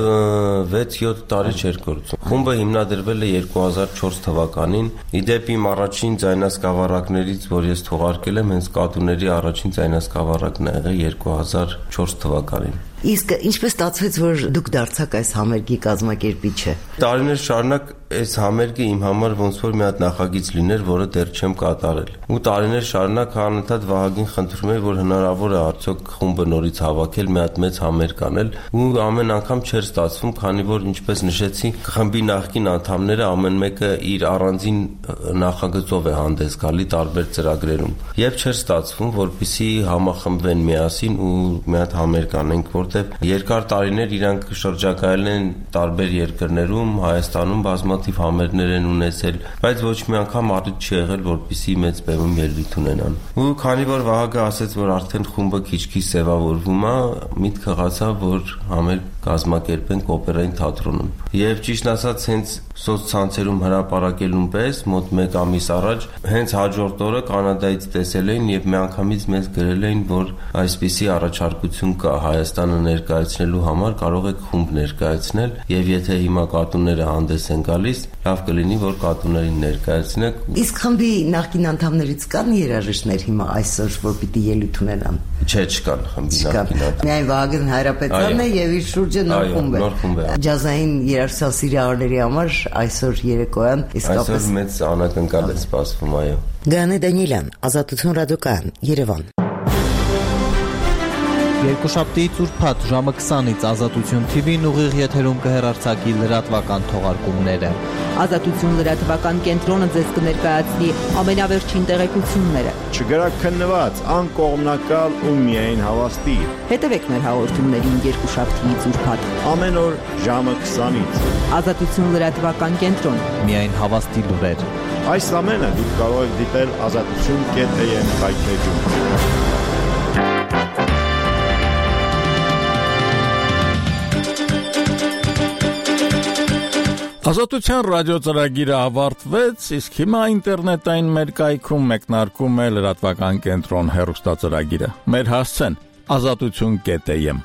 Speaker 13: 6-7 տարի չէր գործում։ Խումբը հիմնադրվել է 2004 թվականին։ Իդեպ իմ առաջին ձայնասկավառակներից, որ ես թողարկել եմ, հենց «Կատուների» առաջին ձայնասկավառակն է եղել 2004 թվականին։
Speaker 9: Իսկ ինչպես ստացվեց, որ դուք դարձաք այս համերգի կազմակերպիչը։
Speaker 13: Տարիներ շարունակ այս համերգը իմ համար ոնց որ մի հատ նախագիծ լիներ, որը դեռ չեմ կատարել։ Ու տարիներ շարունակ անընդհատ Վահագին խնդրում էի, որ հնարավոր է արդյոք խումբը նորից հավաքել, մի հատ մեծ համերգ անել, ու ամեն անգամ չէր ստացվում, քանի որ ինչպես նշեցի, խմբի նախկին անդամները ամեն մեկը իր առանձին նախագծով է հանդես գալի տարբեր ծրագրերում։ Եվ չէր ստացվում, որպեսզի համախմբվեն միասին ու մի հատ համերգ անենք, որտեղ երկար տարիներ իրանք շրջագայել են տարբեր երկրներում, Հայաստանում բազմաթիվ համերգներ են ունեցել, բայց ոչ մի անգամ առիթ չի եղել, որպեսզի մեծ բեմում ելույթ ունենան։ Ու քանի որ Վահագը ասեց, որ արդեն խումբը քիչ-քիչ սևավորվում է, միտքը ղացավ, որ համերգ կազմակերպենք օպերային թատրոնում։ Եվ ճիշտ ասած, հենց սոցցանցերում հրապարակելուն պես մոտ 1 ամիս առաջ հենց հաջորդ օրը Կանադայից տեսել էին եւ միանգամից մեզ գրել էին, որ այսպիսի առաջարկություն կա Հայաստանը ներկայացնելու համար, կարող եք խումբ ներկայացնել եւ եթե հիմա Կատուները հանդես են գալիս, լավ կլինի, որ Կատուներին ներկայացնեք։
Speaker 9: Իսկ խմբի նախկին անդամներից կան երաժիշտներ հիմա այսօր, որ պիտի ելույթ ունենան։
Speaker 13: Չկան խմբի նախկին։
Speaker 9: Միայն Վահագն Հայրապետյանն է եւ իր շուրջը նոր խումբ է։ Ջազային երաժշտության սիրահարների համար այսօր երեկոյան իսկապես
Speaker 13: այսօր մեծ անակնկալ է սպասվում, այո։
Speaker 9: Գանե Դանիելյան, Ազատություն ռադիոկայան, Երևան։
Speaker 12: Երկուշաբթիից ուրբաթ ժամը 20-ից Ազատություն TV-ն ուղիղ եթերում կհեռարձակի լրատվական թողարկումները։
Speaker 16: Ազատություն լրատվական կենտրոնը ձեզ կներկայացնի ամենավերջին տեղեկությունները։
Speaker 17: Չգրաքննված, անկողմնակալ ու միայն հավաստի։
Speaker 16: Հետևեք մեր հաղորդումներին երկուշաբթիից ուրբաթ
Speaker 17: ամեն օր ժամը 20-ից։
Speaker 16: Ազատություն լրատվական կենտրոն։
Speaker 12: Միայն հավաստի լուրեր։
Speaker 17: Այս ամենը դուք կարող եք դիտել azatutun.am հայտնեջում։
Speaker 1: Ազատության ռադիոծրագիրը ավարտվեց, իսկ հիմա ինտերնետային մեր կայքում մեկնարկում է լրատվական կենտրոն հեռուստածրագիրը։ Մեր հասցեն azatutun.am